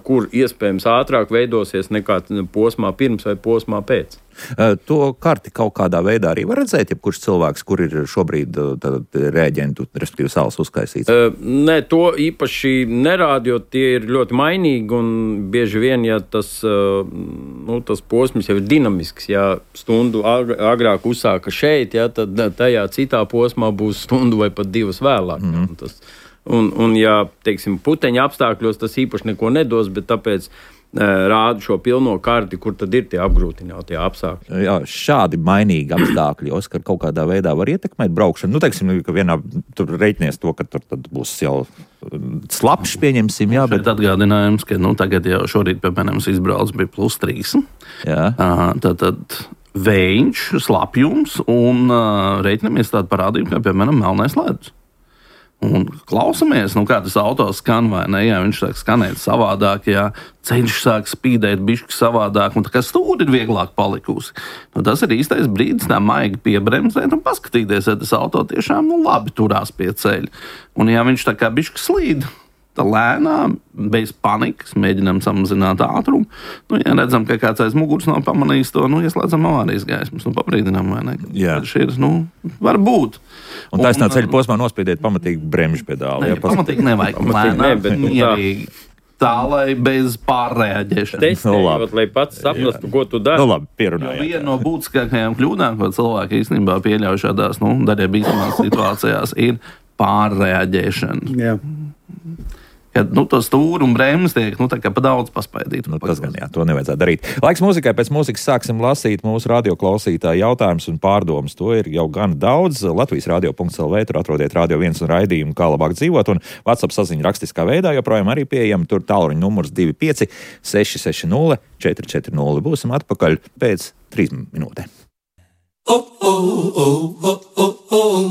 kur iespējams ātrāk veidosies nekā posmā pirms vai posmā pēc. To karti kaut kādā veidā arī var redzēt, ja kurš cilvēks, kur ir šobrīd rēģentu, respektīvi salas uzkaisīts? Nē, to īpaši nerāda, jo tie ir ļoti mainīgi un bieži vien, ja tas, nu, tas posms jau ir dinamisks, ja stundu agrāk uzsāka šeit, ja, tad tajā citā posmā būs stundu vai pat divas vēlāk. Mm-hmm. Ja, tas, Un, un ja, teiksim, puteņa apstākļos tas īpaši neko nedos, bet tāpēc e, rāda šo pilno karti, kur tad ir tie apgrūtinātie apstākļi. Jā, šādi mainīgi apstākļi, Oskar, kaut kādā veidā var ietekmēt braukšanu. Nu, teiksim, ka vienā tur reiķinies to, ka tur tad būs jau slapš, pieņemsim, jā, bet... Šeit atgādinājums, ka, nu, tagad jau šorīt, piemēram, izbrauc bija plus trīs. Jā. Tad, tad vējš, slapjums un reiķinamies tādu parādību, kā, piemēram, melnais ledus. Un klausamies, nu, kā tas auto skan, vai ne? Jā, viņš sāk skanēt savādāk, jā, ceļš sāk spīdēt bišķi savādāk, un tā kā stūri ir vieglāk palikusi. Nu, tas ir īstais brīdis tā maigi piebremzēt un paskatīties, ja tas auto tiešām, nu, labi turās pie ceļa. Un ja viņš tā kā bišķi slīd, tā lēnām, bez panikas, mēģinām samazināt ātrumu. Nu, ja redzam, ka kāds aiz muguras nav pamanījis to, nu, ieslēdzam avārijas gaismas un pabrīdinām, vai ne? Jā. Šeit, nu, var būt. Un taisnā ceļa posmā nospiediet pamatīgi bremžu pedāli. Ne, pamatīgi nevajag. Lēnām, ne, bet nu, mierīgi. Tā, lai bez pārreaģēšanas. Testējot, no, lai pats saprastu, ko tu dari. Nu, labi, pierunājāt. Viena no būtiskākajām kļūdām, ko cilvēki īstenībā pieļauj šādās, nu, daļai bīstamās situācijās, ir pārreaģēšana. Jā. Kad, nu, to stūri un bremzes tiek, nu, tā kā pa daudz paspaidīt. Nu, tas gan, jā, to nevajadzētu darīt. Laiks mūzikai, pēc mūzikas sāksim lasīt mūsu radioklausītāju jautājumus un pārdomas. To ir jau gan daudz. Latvijas radio punkts el vē, tur atrodiet Radio viens un raidījumu, kā labāk dzīvot, un WhatsApp saziņa rakstiskā veidā joprojām arī pieejama. Tur tālruņa numurs divi pieci seši seši nulle četri četri nulle. Būsim atpakaļ pēc trīs minūtēm.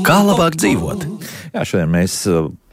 Kā labāk dzīvot? Jā, šodien mēs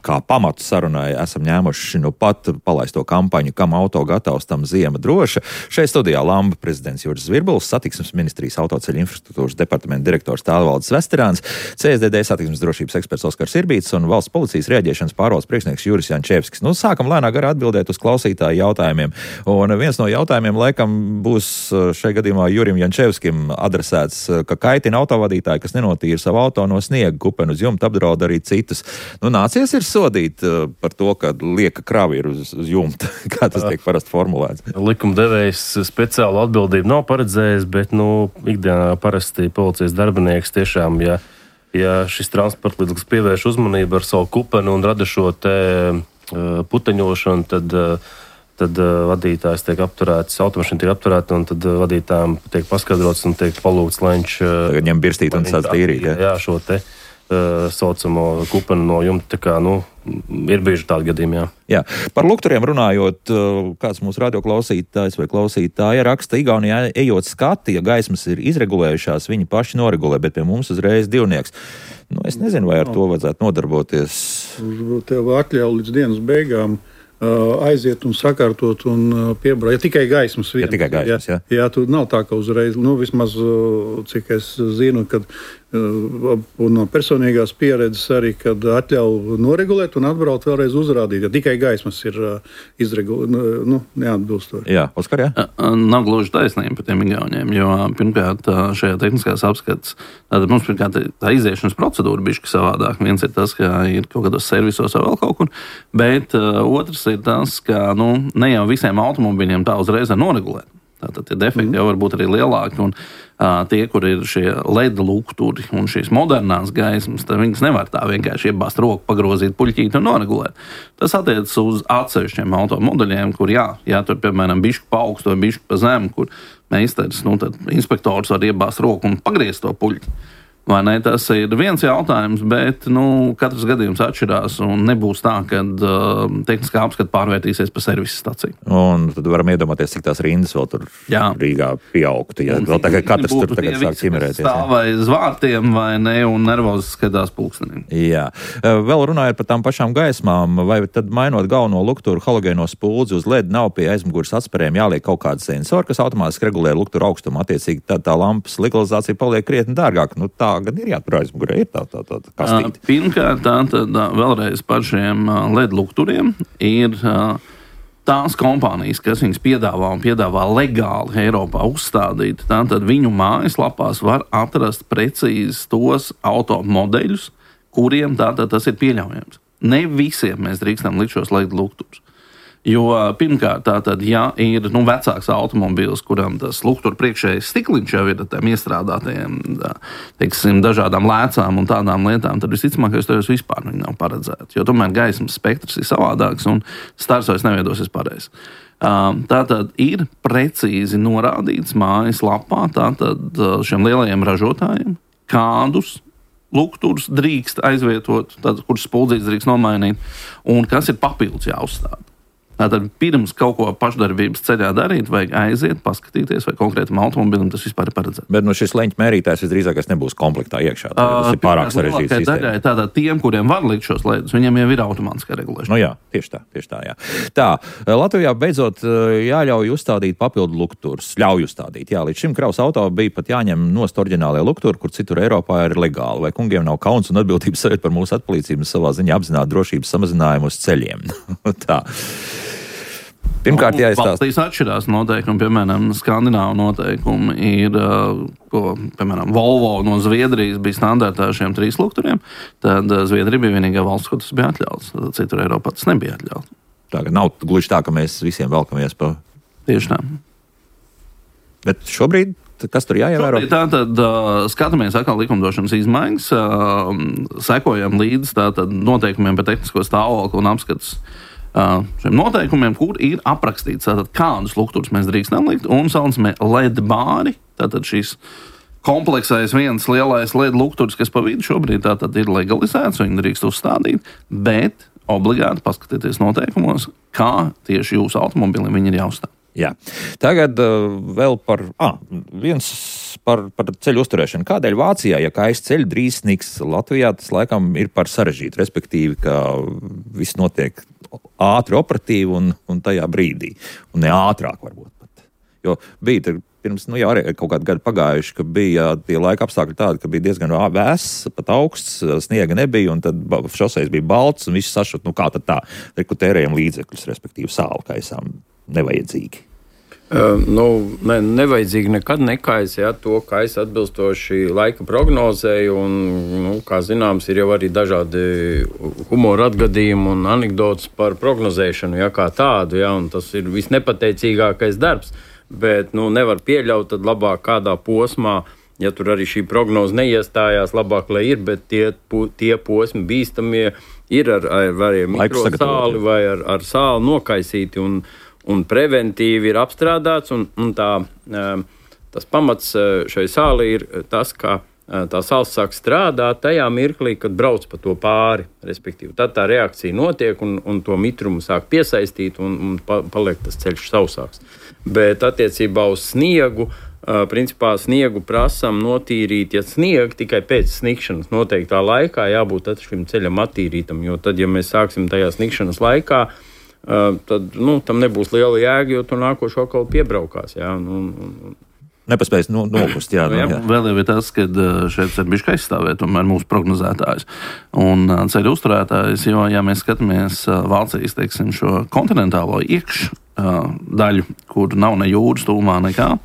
kā pamatu sarunai esam ņēmuši nu pat palaisto kampaņu, kam auto gatavs, tam ziema droša. Šeit studijā Lamba prezidents Juris Zvirbuls, satiksmes ministrijas autoceļu infrastruktūras departamenta direktors Tālvalds Vesterāns, C S D D satiksmes drošības eksperts Oskars Irbīts un valsts policijas rēģēšanas pārvaldes priekšnieks Juris Jančevskis. Nu, sākam lēnā garā atbildēt uz klausītāju jautājumiem. Un viens no jautājumiem laikam būs šajā gadījumā Jurim Jančevskim adresēts, ka kaitina autovadītāji, kas nenotīra savu auto no sniega, kupenu uz jumta, apdraud arī citus. Nu, nācies ir sodīt uh, par to, ka lieka kravi ir uz, uz jumta, kā tas tiek parasti formulēts. Likumdevējs speciālu atbildību nav paredzējis, bet nu, ikdienā parasti policijas darbinieks tiešām, ja, ja šis transporta līdzeklis pievērš uzmanību ar savu kupenu un rada šo te uh, puteņošanu, tad, uh, tad uh, vadītājs tiek apturēts, automašīna tiek apturēta un tad uh, vadītājiem tiek paskaidrots un tiek palūgts, lai viņš uh, tagad ņem birstīt un sāc tīrīt. Ja? Jā, šo te saucamo kupenu no jumta, tā kā, nu, ir bieži tādi gadījumi, jā. Jā. Par lukturiem runājot, kāds mūsu radioklausītājs vai klausītāja raksta, Igaunijā ejot skati, ja gaismas ir izregulējušās, viņi paši noregulē, bet pie mums uzreiz divnieks. Nu, es nezinu, vai ar to vajadzētu nodarboties. Tev atļauj līdz dienas beigām aiziet un sakārtot un piebraukt. Ja tikai gaismas vien. Ja tikai gaismas, jā. Jā, tur nav tā, ka uzreiz, nu, vismaz, cik es zinu, kad un no personīgās pieredzes arī, kad atļauj noregulēt un atbraukt vēlreiz uzrādīt, ja tikai gaismas ir izregulēt, nu, neatbilstoši. Jā, Oskar, jā? Nav gluži taisnība par tiem igauniem, jo pirmkārt šajā tehniskās apskats, tātad mums pirmkārt tā iziešanas procedūra bišķi savādāk. Viens ir tas, ka ir kaut kādos servisos vai vēl kaut kur, bet uh, otrs ir tas, ka, nu, ne jau visiem automobiļiem tā uzreiz ir noregulēt. Tātad tie defekti mm. jau var būt arī lielāki, un uh, tie, kur ir šie L E D lukturi un šīs modernās gaismas, tad viņas nevar tā vienkārši iebāzt roku, pagrozīt puļķīt un noregulēt. Tas attiecas uz atsevišķiem automodeļiem, kur jā, jā tur, piemēram, bišķi pa augstu vai bišķi pa zemu, kur meistars, nu, tad inspektors var iebāzt roku un pagriezt to puļķi. Vai ne? Tas ir viens jautājums, bet nu, katrs gadījums atšķirās un nebūs tā, ka uh, tehniskā apskata pārvērtīsies par servisa staciju. Un tad varam iedomāties, cik tās rindas vēl tur jā. Rīgā pieaugtu. Ja vēl tagad katrs tur tagad sāk ķimerēties. Stāv vai zvārtiem vai ne un nervozi skatās pulksteniem. Jā. Vēl runājot par tām pašām gaismām, vai tad mainot galveno lukturu halogēno spuldzi uz L E D nav pie aizmugures atspērējiem jāliek kaut kāda sensori, kas automātiski regulē lukturu augstumu. Attiecīgi tad tā lampas legalizācija paliek krietni dārgāk. Nu, tā gan ir jātur aizmugurē, ir tā, tā, tā, tā kastīte. Pirmkārt, tā tad vēlreiz par šiem L E D lukturiem ir tās kompānijas, kas viņas piedāvā un piedāvā legāli Eiropā uzstādīt. Tātad viņu mājaslapās var atrast precīzi tos automodeļus, kuriem tātad tas ir pieļaujams. Ne visiem mēs drīkstam likt šos L E D lukturus. Jo pirmkārt, tātad, ja ir nu, vecāks automobīls, kuram tas luktur priekšējais stikliņš jau ir ar tiem iestrādātajiem, teiksim, dažādām lēcām un tādām lietām, tad visticamākais tajos vispār viņi nav paredzēti. Jo tomēr gaismas spektrs ir savādāks un stars vairs neviedosies pareizi. Tātad ir precīzi norādīts mājas lapā tātad šiem lielajiem ražotājiem, kādus lukturus drīkst aizvietot, tātad, kurus spuldzītes drīkst nomainīt un kas ir papildus jāuzstāda. Tātad pirms kaut ko pašdarbības ceļā darīt, vajag aiziet, paskatīties, vai konkrētam automobilim tas vispār ir paredzēts. Bet nu, šis leņķa mērītājs visdrīzākais nebūs komplektā iekšā. Tas ir pārāk sarežģīts sistēma. Tātad tiem, kuriem var likt šos lēdus, viņiem jau ir automātiskā regulēšana. Nu jā, tieši tā, tieši tā, jā. Tā, Latvijā beidzot jāļauj uzstādīt papildu lukturus. Ļauj uzstādīt, jā. Līdz šim kravas auto bija pat jāņem nost oriģinālie lukturi, kur citur Eiropā ir legāli. Vai kungiem nav kauns un atbildības sajūt par mūsu atpalīdzību savā ziņā apzināt drošības samazinājumu uz ceļiem? Tā. Pirmkārt, jāizstāsta. Valstīs atšķirās noteikumi, piemēram, skandināvu noteikumi ir, ko, piemēram, Volvo no Zviedrijas bija standartā ar šiem trīs lukturiem, tad Zviedrija bija vienīgā valsts, kur tas bija atļauts, tad citur Eiropā tas nebija atļauts. Tā, ka nav gluži tā, ka mēs visiem velkamies pa... Tieši tā. Bet šobrīd, kas tur jāievēro? Šobrīd tātad uh, skatāmies atkal likumdošanas izmaiņas, uh, sekojam līdz tātad noteikumiem par tehnisko stāvokli un apskats šiem noteikumiem, kur ir aprakstīts, tātad, kādus lukturus mēs drīkstam likt, un saucamie L E D bāri, tātad šīs kompleksais viens lielais L E D lukturs, kas pa vidu šobrīd tātad ir legalizēts, viņi drīkst uzstādīt, bet obligāti paskatieties noteikumos, kā tieši jūsu automobilim viņi ir jāuzstāv. Jā. Tagad uh, vēl par, ah, viens par, par ceļu uzturēšanu. Kādēļ Vācijā, ja kājas ceļi drīz sniks, Latvijā tas laikam ir par sarežģītu, respektīvi, ka viss notiek ātri operatīvi un, un tajā brīdī. Un ne ātrāk varbūt pat. Jo bija pirms, nu jā, arī kaut kādu gadu pagājuši, ka bija tie laika apstākļi tādi, ka bija diezgan vēss, pat augsts, sniega nebija, un tad šoseis bija balts, un viss sašut, nu kā tad tā, reku tērējam līdzekļus, respektīvi sāli kaisām. Nevajadzīgi. Uh, nu, ne, nevajadzīgi nekad nekais, ja, to kais atbilstoši laika prognozēju, un, nu, kā zināms, ir jau arī dažādi humora atgadījumi un anekdotas par prognozēšanu, ja, kā tādu, ja, un tas ir visnepateicīgākais darbs, bet, nu, nevar pieļaut, tad labāk kādā posmā, ja tur arī šī prognoze neiestājās, labāk, lai ir, bet tie, tie posmi bīstamie ir ar, ar, ar mikrosāli vai ar, ar sāli nokaisīti, un un preventīvi ir apstrādāts, un, un tā, tas pamats šai sāli ir tas, ka tā sāls sāk strādāt tajā mirklī, kad brauc pa to pāri, respektīvi. Tad tā reakcija notiek, un, un to mitrumu sāk piesaistīt, un, un paliek tas ceļš sausāks. Bet attiecībā uz sniegu, principā sniegu prasam notīrīt, ja snieg tikai pēc snikšanas noteiktā laikā, jābūt šim ceļam attīrītam, jo tad, ja mēs sāksim tajā snikšanas laikā, Uh, tad nu, tam nebūs liela jēga, jo tur nākošo kaut kā piebraukās. Jā, un, un, Nepaspējas no, nokust. Jā, nu, jā. Jā. Vēl jau ir tas, ka šeit ir bišķi aizstāvēt tomēr mūsu prognozētājs un ceļu uzturētājs, jo, ja mēs skatāmies Vācijas, teiksim, šo kontinentālo iekšdaļu, kur nav ne jūras tūmā nekā,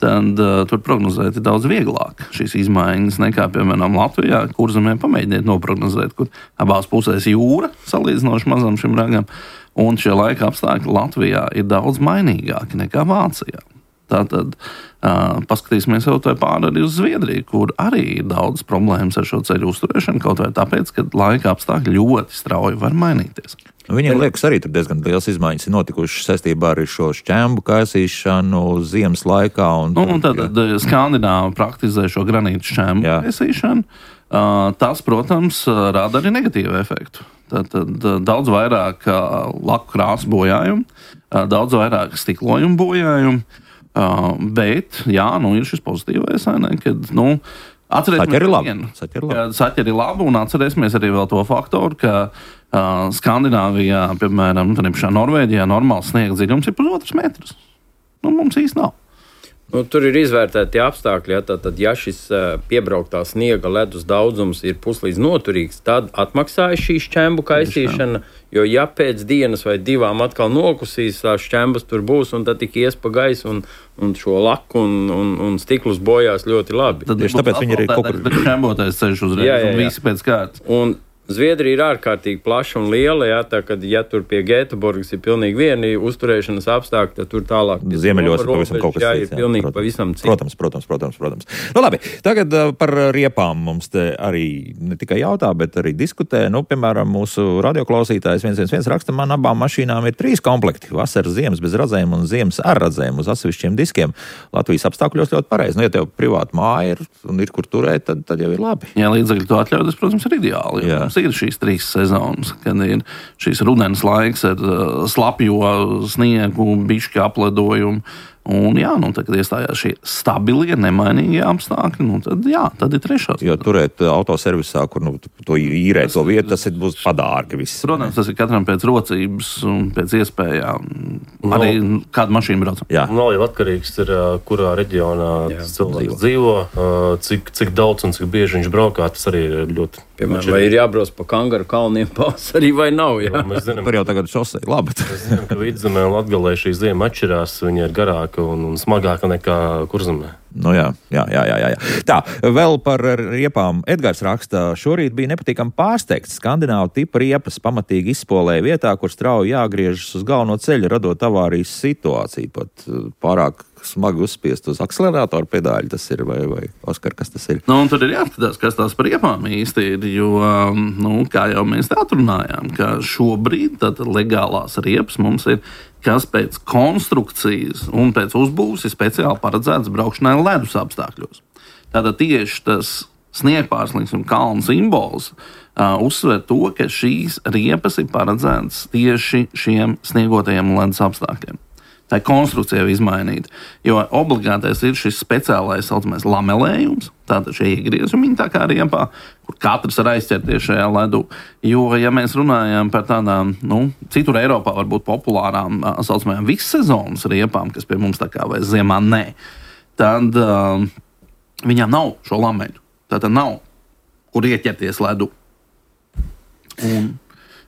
tad uh, tur prognozēt ir daudz vieglāk šīs izmaiņas nekā, piemēram, Latvijā, kur zemē pamēģiniet noprognozēt, kur abās pusēs jūra salīdzinoši mazam šim ragam, un šie laika apstākļi Latvijā ir daudz mainīgāki nekā Vācijā. Tātad uh, paskatīsimies jau tā pāri arī uz Zviedriju, kur arī ir daudz problēmas ar šo ceļu uzturēšanu, kaut vai tāpēc, ka laika apstākļi ļoti strauji var mainīties. Viņiem liekas, arī tur diezgan liels izmaiņas ir notikušas saistībā ar šo šķembu kaisīšanu ziemas laikā. Un, nu, un tad jā. Skandināvi praktizē šo granītu šķembu kaisīšanu. Uh, tas, protams, rada arī negatīvu efektu. Tad, tad daudz vairāk uh, laku krāsu bojājumu, uh, daudz vairāk stiklojumu bojājumu, uh, bet, jā, nu ir šis pozitīvais, ne, kad, nu, Saķeri ir labi. Saķeri ir labi, un atcerēsimies arī vēl to faktoru, ka uh, Skandināvijā, piemēram, Norvēģijā normāls sniega dziļums ir pusotrs metrs. Nu, mums īsti nav. Nu, tur ir izvērtēti apstākļi, ja, tad, ja šis piebrauktā sniega ledus daudzums ir puslīdz noturīgs, tad atmaksājas šī šķembu kaisīšana, jo ja pēc dienas vai divām atkal nokusīs, tās šķembas tur būs, un tad tik ies pa gaisu, un, un šo laku un, un, un stiklus bojās ļoti labi. Tad tieši tāpēc viņi ir kaut kur... Bet šķembotais ceļš uzreiz, jā, jā, jā. Un visi pēc kārtas. Un Zviedrija ir ārkārtīgi plaša un liela, jā, tā, kad, ja tur pie Gēteborgas ir pilnīgi vieni uzturēšanas apstākļi, tad tur tālāk ziemeļos ir pavisam kaut kas jā, cits. Ir pilnīgi protams, pavisam cits. Protams, protams, protams, protams. Nu labi, tagad uh, par riepām mums te arī ne tikai jautā, bet arī diskutē. Nu, piemēram, mūsu radioklausītājs viens viens viens raksta, man abām mašīnām ir trīs komplekti. Vasaras, ziemas bez radzēm un ziemas ar radzēm uz atsevišķiem diskiem. Latvijas apstākļos ļoti pareizi. Nu, ja tev privāta māja ir un ir kur turēt, tad, tad jau ir labi. Jā, līdzekļi to atļauj, tas, protams, ir ideāli. Jā. Ir šīs trīs sezonas, kad ir šīs rudens laiks ar uh, slapjo sniegu, bišķi apledojumu. Un jā, nu, tad, kad iestājās šie stabilie, nemainīgie apstākļi, nu, tad jā, tad ir trešās. Jo turēt autoservisā, kur nu, to īrēt to vietu, tas ir, būs padārgi viss. Protams, tas ir katram pēc rocības un pēc iespējām. No, arī kāda mašīna brauc. Jā. Nav jau atkarīgs, ir, kurā reģionā cilvēks dzīvo, cik, cik daudz un cik bieži viņš braukā, tas arī ir ļoti... Piemēram, vai ir jābrauc pa Kangaru kalniem pavasarī vai nav? Jā? Jā, mēs zinām, par jau tagad šosei, labi. Mēs zinām, ka Vidzemē un Latgalē šī ziema atšķirās, viņa ir garāka un, un smagāka nekā Kurzemē. Nu jā, jā, jā, jā, jā. Tā, vēl par riepām. Edgars raksta, šorīt bija nepatīkami pārsteigts. Skandināvu tipa riepas pamatīgi izspolēja vietā, kur strauji jāgriežas uz galveno ceļu, radot avārijas situāciju. Pat pārāk smagi uzspiest uz akselerātoru pedāļu, tas ir, vai, vai Oskar, kas tas ir? Nu, un tad ir jāskatās, kas tās par riepām īsti ir, jo, nu, kā jau mēs te atrunājām, ka šobrīd tad legālās riepas mums ir, kas pēc konstrukcijas un pēc uzbūves ir speciāli paredzēts braukšanai ledus apstākļos. Tātad tieši tas sniegpārslings un kalnu simbols uh, uzsver to, ka šīs riepas ir paredzētas tieši šiem sniegotajiem ledus apstākļiem. tā konstrukcija izmainīta. Jo obligātais ir šis speciālais saucamais lamelējums, tātad šie iegriezumi tā kā riepā, kur katrs var aizķerties šajā ledū. Jo, ja mēs runājam par tādām, nu, citur Eiropā varbūt populārām, saucamajām vissezonas riepām, kas pie mums tā kā vai ziemā nē, tad uh, viņām nav šo lameļu. Tātad nav, kur ieķerties ledu. Un,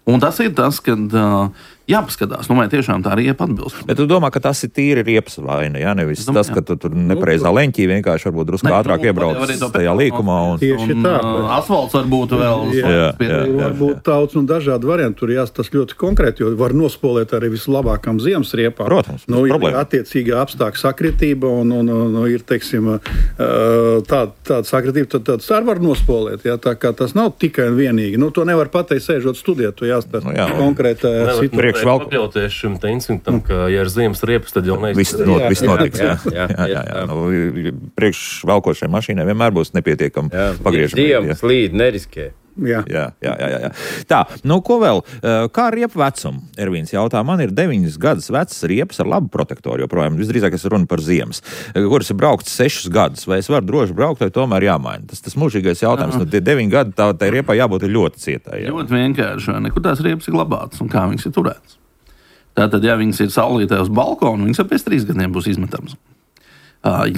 un tas ir tas, kad uh, jāpaskatās, nu vai tiešām tā riepa atbilst. Bet tu domā, ka tas ir tīri riepas vaina, jā? Nevis domā, tas, ka tu tur nepareizā leņķī vienkārši varbūt drusku ātrāk nu, iebrauc tajā līkumā. Un... Tieši tā. Un, uh, asfalts varbūt vēl. Jā, jā, jā, jā. Varbūt daudz un dažādi varianti. Tur jāstas ļoti konkrēti, jo var nospolēt arī vislabākām ziemas riepām. Protams, nu, ir problēma. attiecīga apstākļa sakritība un, un, un, un ir, teiksim, tāda, tāda sakritība, tad tāds arī var nospolēt. Jā, tā kā tas nav tikai un vienīgi. Nu, to nevar pateikt, sēžot studijā, tu jāstāsta nu, jā, konkrētā situācijā. Pakļauties šim te instinktam, ka, ja ir ziemas riepas, tad jau neizsaka. Viss, not, viss notiks, jā. jā, jā, jā, jā. Nu, priekš velkošai mašīnai vienmēr būs nepietiekam pagriežam. Dievam slīd, neriskē. Jā. Jā, jā, jā, jā. Tā, nu ko vēl? Kā riepu vecumu? Ervīns jautā, man ir deviņas gadus vecs riepas ar labu protektoru, joprojām visdrīzāk es runu par ziemas, kuras ir braukts sešus gadus, vai es varu droši braukt, vai tomēr jāmaina? Tas tas mūžīgais jautājums, nu tie deviņi gadi, tā, tā riepai jābūt ļoti cietai. Jā. Ļoti vienkārši, nekur tās riepas ir glabātas un kā viņas ir turētas. Tātad, ja viņas ir saulītē uz balkonu, viņas jau pēc trīs gadiem būs izmetams.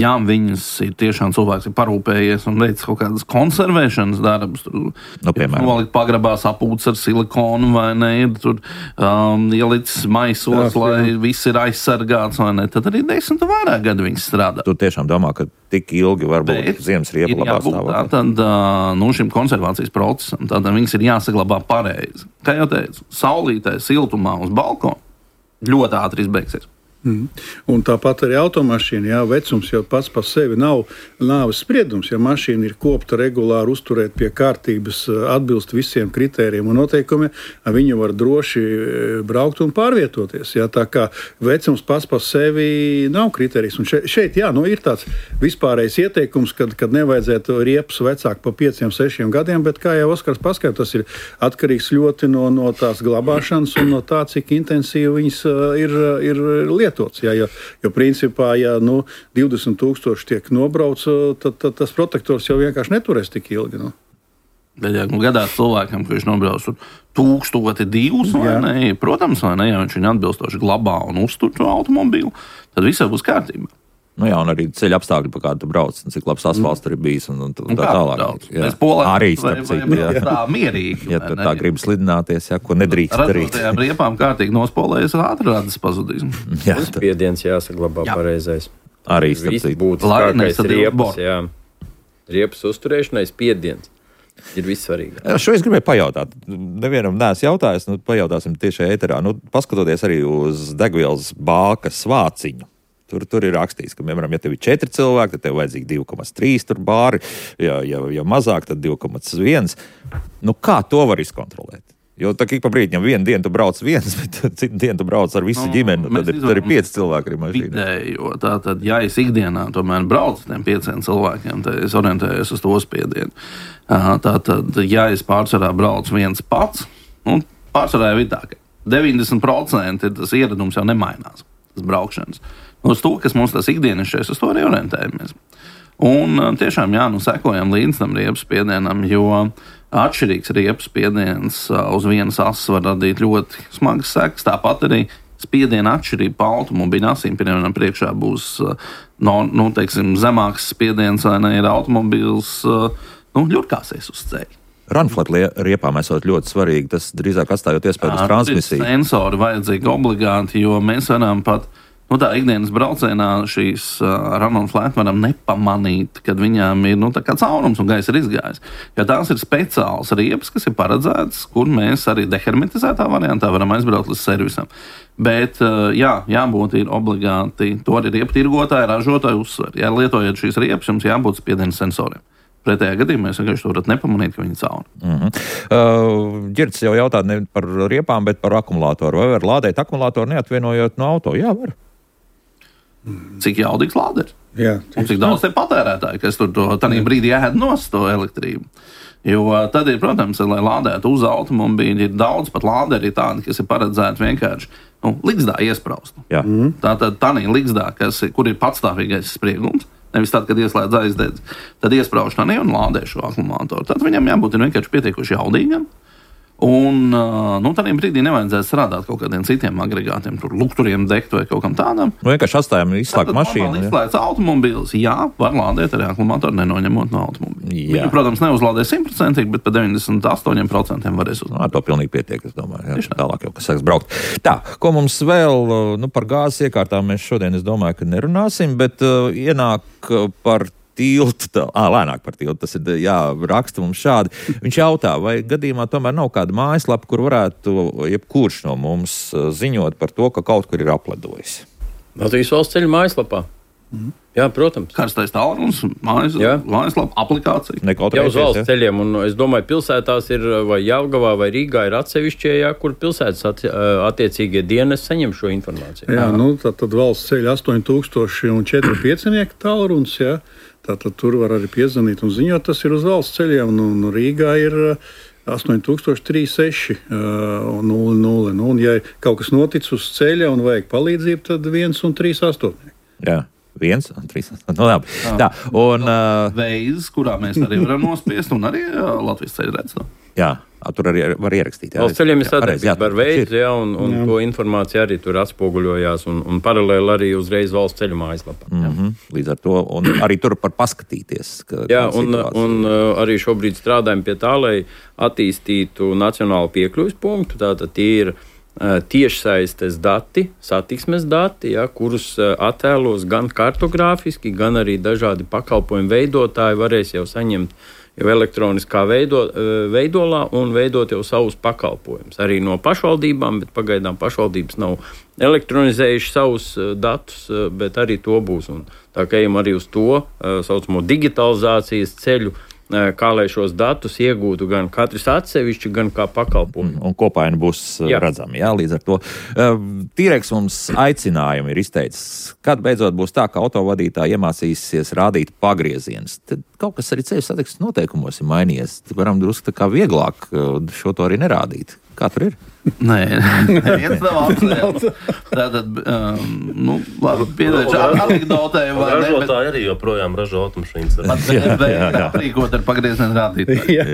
Ja viņas ir tiešām cilvēks ir parūpējies un veic kaut kādas konservēšanas darbus, tur nu, nolikt pagrabā sapūts ar silikonu vai ne, tur um, ielicis maisos, jā, lai jā. Viss ir aizsargāts vai ne, tad arī desmit vairāk gadu viņas strādā. Tu tiešām domā, ka tik ilgi var būt ziemas riepa labā stāvoklī? Tad nu, šim konservācijas procesam, tad viņas ir jāsaglabā pareizi. Kā jau teicu, saulītē, siltumā uz balkonu ļoti ātri izbeigsies. Mm. Un tāpat arī automašīna, jā, vecums jau pats par sevi nav nāves spriedums. Ja mašīna ir kopta regulāri, uzturēt pie kārtības, atbilst visiem kritērijiem un noteikumiem, viņa var droši braukt un pārvietoties. Jā, tā kā vecums pats par sevi nav kritērijs. Un šeit, šeit jā, nu, ir tāds vispārējais ieteikums, kad, kad nevajadzētu riepas vecāk pa pieciem, sešiem gadiem, bet kā jau Oskars paskaidro, tas ir atkarīgs ļoti no, no tās glabāšanas un no tā, cik intensīvi viņas ir, ir lietas. Jā, jo, jo principā, ja nu, divdesmit tūkstoši tiek nobrauc, tad, tad tas protektors jau vienkārši neturēs tik ilgi. Nu. Bet, ja nu, gadās cilvēkam, ka viņš nobrauc tūkstoti divus, vai ne, protams, vai ne, ja viņš viņu atbilstoši glabā un uztur to automobīlu, tad visai būs kārtībā. Nu jā, un arī ceļa apstākļi, pa kādu tu brauc, un cik labs asfalts tur ir bijis, un, un, un tā tālāk. Mēs polēm arī vai, vai, vai tā mierīgi. Ja tu tā gribi slidināties, jā, ko nedrīkst darīt. Radot riepām kārtīgi nospolējas, ātri radas pazudīs. Spiediens jāsaglabā jā. Pareizais. Arī starp būtiskākais riepas, jā. Riepas uzturēšanai spiediens. Ir vissvarīgāk. Šo es gribēju pajautāt. Nevienam neesmu jautājis, nu pajautāsim tieši ēterā. Nu, paskatoties arī uz degvielas bākas vāciņu. Tur, tur ir rakstīts, ka, piemēram, ja tev ir četri cilvēki, tad tev vajadzīgi divi komats trīs tur bāri, ja, ja, ja mazāk, tad divi komats viens. Nu, kā to var izkontrolēt? Jo tā ik pa brīdim vienu dienu tu brauc viens, bet citu dienu tu brauc ar visu no, ģimeni, tad ir, ir pieci cilvēki arī mašīnā. Vidējo, tātad, ja es ikdienā tomēr braucu ar tiem pieciem cilvēkiem, tad es orientējos uz to spiedienu. Tātad, ja es pārsvarā braucu viens pats, nu, pārsvarā jau ir tā, ka deviņdesmit procenti tas ieradums jau nemainās, tas braukšanas. Uz to, kas mums tas ikdienišķais, uz to arī orientējamies. Un tiešām, jā, nu sekojam līdz tam riepas spiedienam, jo atšķirīgs riepas spiediens uz vienas asas var radīt ļoti smagas sekas. Tāpat arī spiediena atšķirība pa automobīļa asīm, piemēram, priekšā būs no, nu, teiksim, zemāks spiediens, vai ne, ir automobīls, nu, ļurkāsies uz ceļa. Runflat riepām esot ļoti svarīgi, tas drīzāk atstājot iespēju uz transmisiju. Sensori vajadzīgi obligāti, jo mēs varam pat Nu, tā ikdienas braucienā šīs uh, run-on-flat varam nepamanīt, kad viņām ir nu, tā kā caurums un gaisa ir izgājis. Jo tās ir speciāls riepas, kas ir paredzētas, kur mēs arī dehermetizētā variantā varam aizbraukt līdz servisam. Bet, uh, jā, jābūt ir obligāti, to arī riepu tirgotāji, ražotāji uzsver. Ja lietojat šīs riepas, jums jābūt spiediena sensoriem. Pretējā gadījumā mēs vienkārši to varat nepamanīt, ka viņi ir cauri. Mm-hmm. Uh, Ģirds jau jautā ne par riepām, bet par akumulātoru. Vai var lādēt akumulātoru neatvienojot no auto? Jā, var. Cik jaudīgs lāders? Jā, un cik daudz tie patērētāji, kas tur to tādā brīdī ēd nost to elektrību. Jo tad ir, protams, lai lādētu uz automobīļa, ir daudz pat lāderi tādi, kas ir paredzēti vienkārši nu, ligzdā iespraust. Mm. Tātad tādā ligzdā, kas, kur ir patstāvīgais spriegums, nevis tad, kad ieslēdz aizdedz, tad iesprauž tādā un lādē šo akumulātoru. Tad viņam jābūt vienkārši pietiekuši jaudīgam. Un nu, tādā brīdī nevajadzētu strādāt kaut kādiem citiem agregātiem, tur lukturiem degt vai kaut kam tādam. Nu, vienkārši atstājam izslēgt mašīnu. Tad izslēgts automobīls, jā, var lādēt arī akumulātoru, nenoņemot no automobīļa. Jā. Viņu, protams, neuzlādē simtprocentīgi, bet pa deviņdesmit astoņiem procentiem varēs uzlādēt. Ar to pilnīgi pietiek, es domāju. Jā, tālāk jau, kas sāks braukt. Tā, ko mums vēl, nu, par gāzes iekārtām mēs šodien, es domāju, ka nerunāsim, bet uh, ienāk par tiltu, tā, ā, lēnāk par tiltu, tas ir, jā, raksta mums šādi. Viņš jautā, vai gadījumā tomēr nav kāda mājaslapa, kur varētu jebkurš no mums ziņot par to, ka kaut kur ir apledojis. Latvijas valsts ceļu mājaslapā. Mm. Jā, protams. Karstais tālrunis, mājas, mājaslapa, aplikācija. Jau uz valsts ceļiem, un es domāju, pilsētās ir, vai Jelgavā, vai Rīgā ir atsevišķie, jā, kur pilsētas at, attiecīgie dienas saņem šo informāciju. Jā, nu, tad, tad valsts ceļa astoņi tūkstoši un četri piecinieki tālrunis, jā. Tātad tur var arī piezvanīt un ziņot, tas ir uz valsts ceļiem, un, un Rīgā ir astoņi tūkstoši trīs seši nulle nulle. Nu, un ja kaut kas notic uz ceļa un vajag palīdzību, tad viens un trīs astoņi. Jā. Viens, trīs, no labi. Tā, un... Uh, Veids, kurā mēs arī varam nospiest, un arī uh, Latvijas ceļu redz to. Jā, tur arī var ierakstīt. Jā, valsts ceļiem ir sadarbība ar veidu, jā, un, un jā. To informācija arī tur atspoguļojās, un, un paralēli arī uzreiz valsts ceļu mājaslapā. Mm-hmm. Līdz ar to, un arī tur par paskatīties. Ka, jā, un, un uh, arī šobrīd strādājam pie tā, lai attīstītu nacionālu piekļuves punktu, tātad tie ir tiešsaistes dati, satiksmes dati, ja, kurus attēlos gan kartogrāfiski, gan arī dažādi pakalpojumu veidotāji varēs jau saņemt jau elektroniskā veido, veidolā un veidot jau savus pakalpojumus. Arī no pašvaldībām, bet pagaidām pašvaldības nav elektronizējuši savus datus, bet arī to būs. Un tā kā ejam arī uz to saucamo digitalizācijas ceļu, kā lai šos datus iegūtu gan katrs atsevišķi, gan kā pakalpojumu. Un kopaini būs jā. Redzami, jā, līdz ar to. Tīreks mums aicinājumu ir izteicis, kad beidzot būs tā, ka autovadītāji iemācīsies rādīt pagriezienus. Tad kaut kas arī ceļu satiksmes noteikumos ir mainījies. Varam drusku tā kā vieglāk šo to arī nerādīt. Kā tur ir? Nē, neviens nav apsvērts. Tātad, um, nu, labi, piedēļ anekdotē. Ražotāji arī joprojām ražo automašīnas. Aprīkot ar pagriezienu rādītāju. Jā.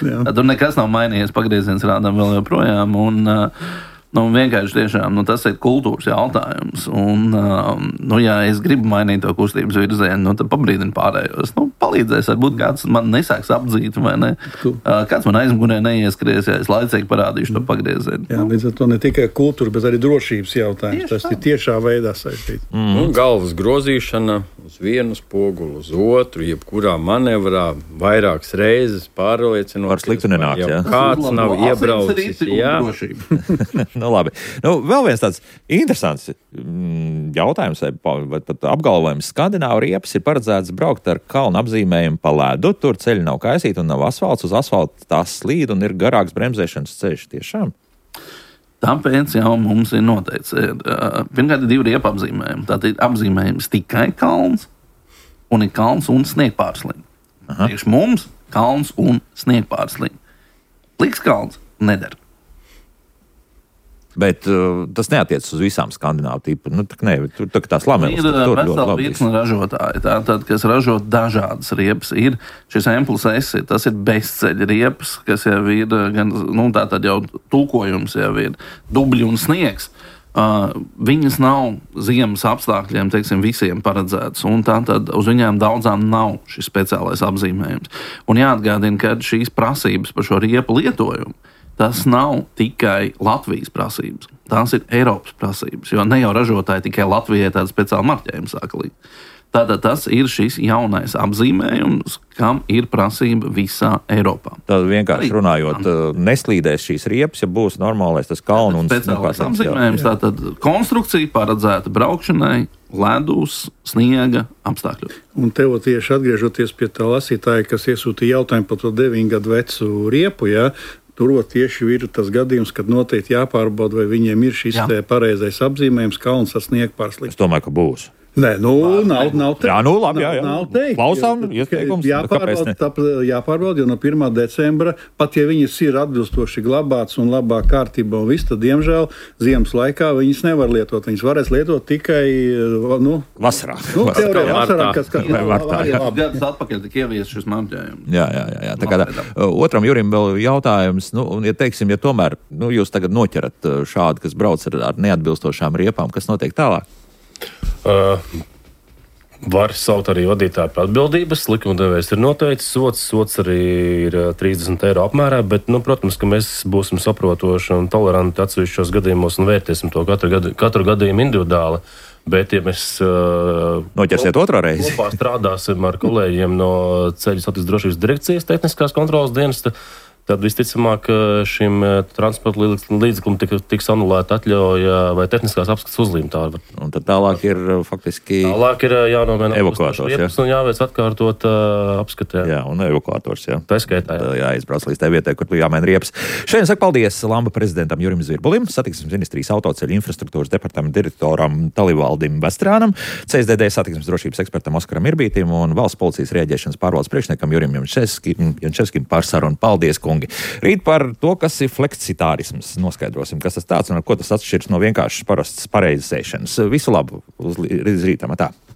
Jā. Tad tur nekas nav mainījies, pagrieziens rādām vēl joprojām. Un, uh, nu, vienkārši tiešām, nu, tas ir kultūras jautājums. Un, um, nu, ja es gribu mainīt to kustības virzienu, nu, tad pabrīdinu pārējos. Nu, palīdzēs, varbūt kāds man nesāks apdzīt, vai ne? Uh, kāds man aizmugurē neieskries, ja es laicīgi parādīšu to pagriezienu. Jā, līdz ar to ne tikai kultūra, bet arī drošības jautājums. Tieši tas tā. Ir tiešā veidā saistīts. Mm. Nu, galvas grozīšana uz vienu spoguli, uz otru, jebkurā manevrā, vairākas reizes pārliecinot. Par sliktu nenāks, jā. Kāds nav iebraucis, jā. Nu, labi. Nu, vēl viens tāds interesants mm, jautājums vai pat apgalvojums. Skandināvu riepas ir paredzēts braukt ar kalnu apzīmējumu pa ledu. Tur ceļi nav kaisīti un nav asfalts. Uz asfalta tās slīd un ir garāks bremzēšanas ceļš. Tiešām? Tāpēc jau mums ir noteikts. Pirmkārt, ir divi riepa apzīmējumi. Tātad ir apzīmējums tikai kalns un ir kalns un sniegpārslīd. Priekš mums kalns un sniegpārslīd. Pliks kalns nedara. Bet uh, tas neatiecas uz visām skandināvu tipu. Nu, tā, ne, tur tā, tās lameles. Ir vesela virkne ražotāji, tātad, kas ražo dažādas riepas. Ir šis M plus S, tas ir bezceļa riepas, kas jau ir, gan, nu, tātad jau tulkojums jau ir dubļi un sniegs. Uh, viņas nav ziemas apstākļiem, teiksim, visiem paredzētas, un tātad uz viņām daudzām nav šis speciālais apzīmējums. Un jāatgādina, ka šīs prasības par šo riepu lietojumu tas nav tikai Latvijas prasības, tās ir Eiropas prasības, jo ne jau ražotāji tikai Latvijai tādu speciālu marķējumu sāka likt. Tātad tas ir šis jaunais apzīmējums, kam ir prasība visā Eiropā. Tad vienkārši runājot, neslīdēs šīs riepas, ja būs normālais tas kalnu un speciālais apzīmējums, tātad konstrukcija paredzēta braukšanai ledus, sniega apstākļos. Un tev tieši atgriežoties pie tā lasītāja, kas iesūtīja jautājumu par to deviņu gadu vecu riepu, jā, tur tieši ir tas gadījums, kad noteikti jāpārbauda, vai viņiem ir šis pareizais apzīmējums, kalns ar sniegpārslīd. Es domāju, ka būs. Nē, nu, nav, nav teikt. Jā, nu, labi, jā, jā. Nav, nav teikt. Klausām, ieteikums. Jāpārbauda, tāp, jāpārbauda, jo no pirmā decembra, pat ja viņas ir atbilstoši glabātas un labā kārtībā un viss, tad, diemžēl, ziemas laikā viņas nevar lietot. Viņas varēs lietot tikai, nu, vasarā. Nu, vasarā. teorē, vasarā, kas, kas Vai martā, jā. Gadus atpakaļ tika ievies šis marķējums. Jā, jā, jā. jā. Tā kā tā, otram Jurim vēl jautājums, nu, un, ja teiksim, ja tomēr, nu, jūs tagad noķerat šādu, kas brauc ar, ar neatbilstošām riepām, kas notiek tālāk? Uh, var saukt arī vadītāju par atbildības. Likumdevējs ir noteicis sots. Sots arī ir trīsdesmit eiro apmērā, bet, nu, protams, ka mēs būsim saprotoši un toleranti atsevišķos gadījumos un vērtēsim to katru, gadu, katru gadījumu individuāli. Bet, ja mēs uh, noķersiet otrā reizi, kopā strādāsim ar kolēģiem no Ceļu satiksmes drošības direkcijas tehniskās kontrolas dienesta, tad visticamāk šim transporta līdzeklim tiks anulēta atļauja vai tehniskās apskates uzlīme. Un tad tālāk ir faktiski tālāk ir jānomaina evakuators, jā. Un jāveic atkārtot uh, apskatē. Jā, un evakuators, jā. Tā skaitā, jā. Jāizbrauc līdz tai vietai, kur jāmaina riepas. Šodien saka paldies Lamba prezidentam Jurim Zvirbulim, satiksmes ministrijas autoceļu infrastruktūras departamenta direktoram Talivaldim Vestrānam, C S D D satiksmes drošības ekspertam Oskaram Irbītim un valsts policijas rēģēšanas pārvaldes priekšniekam Jurim Jančevskim par sarunu. Paldies, kungi! Rīt par to, kas ir fleksitārisms, noskaidrosim, kas tas tāds un ar ko tas atšķiras no vienkāršas parastas pareizes ēšanas. Visu labu uz rītam, tā!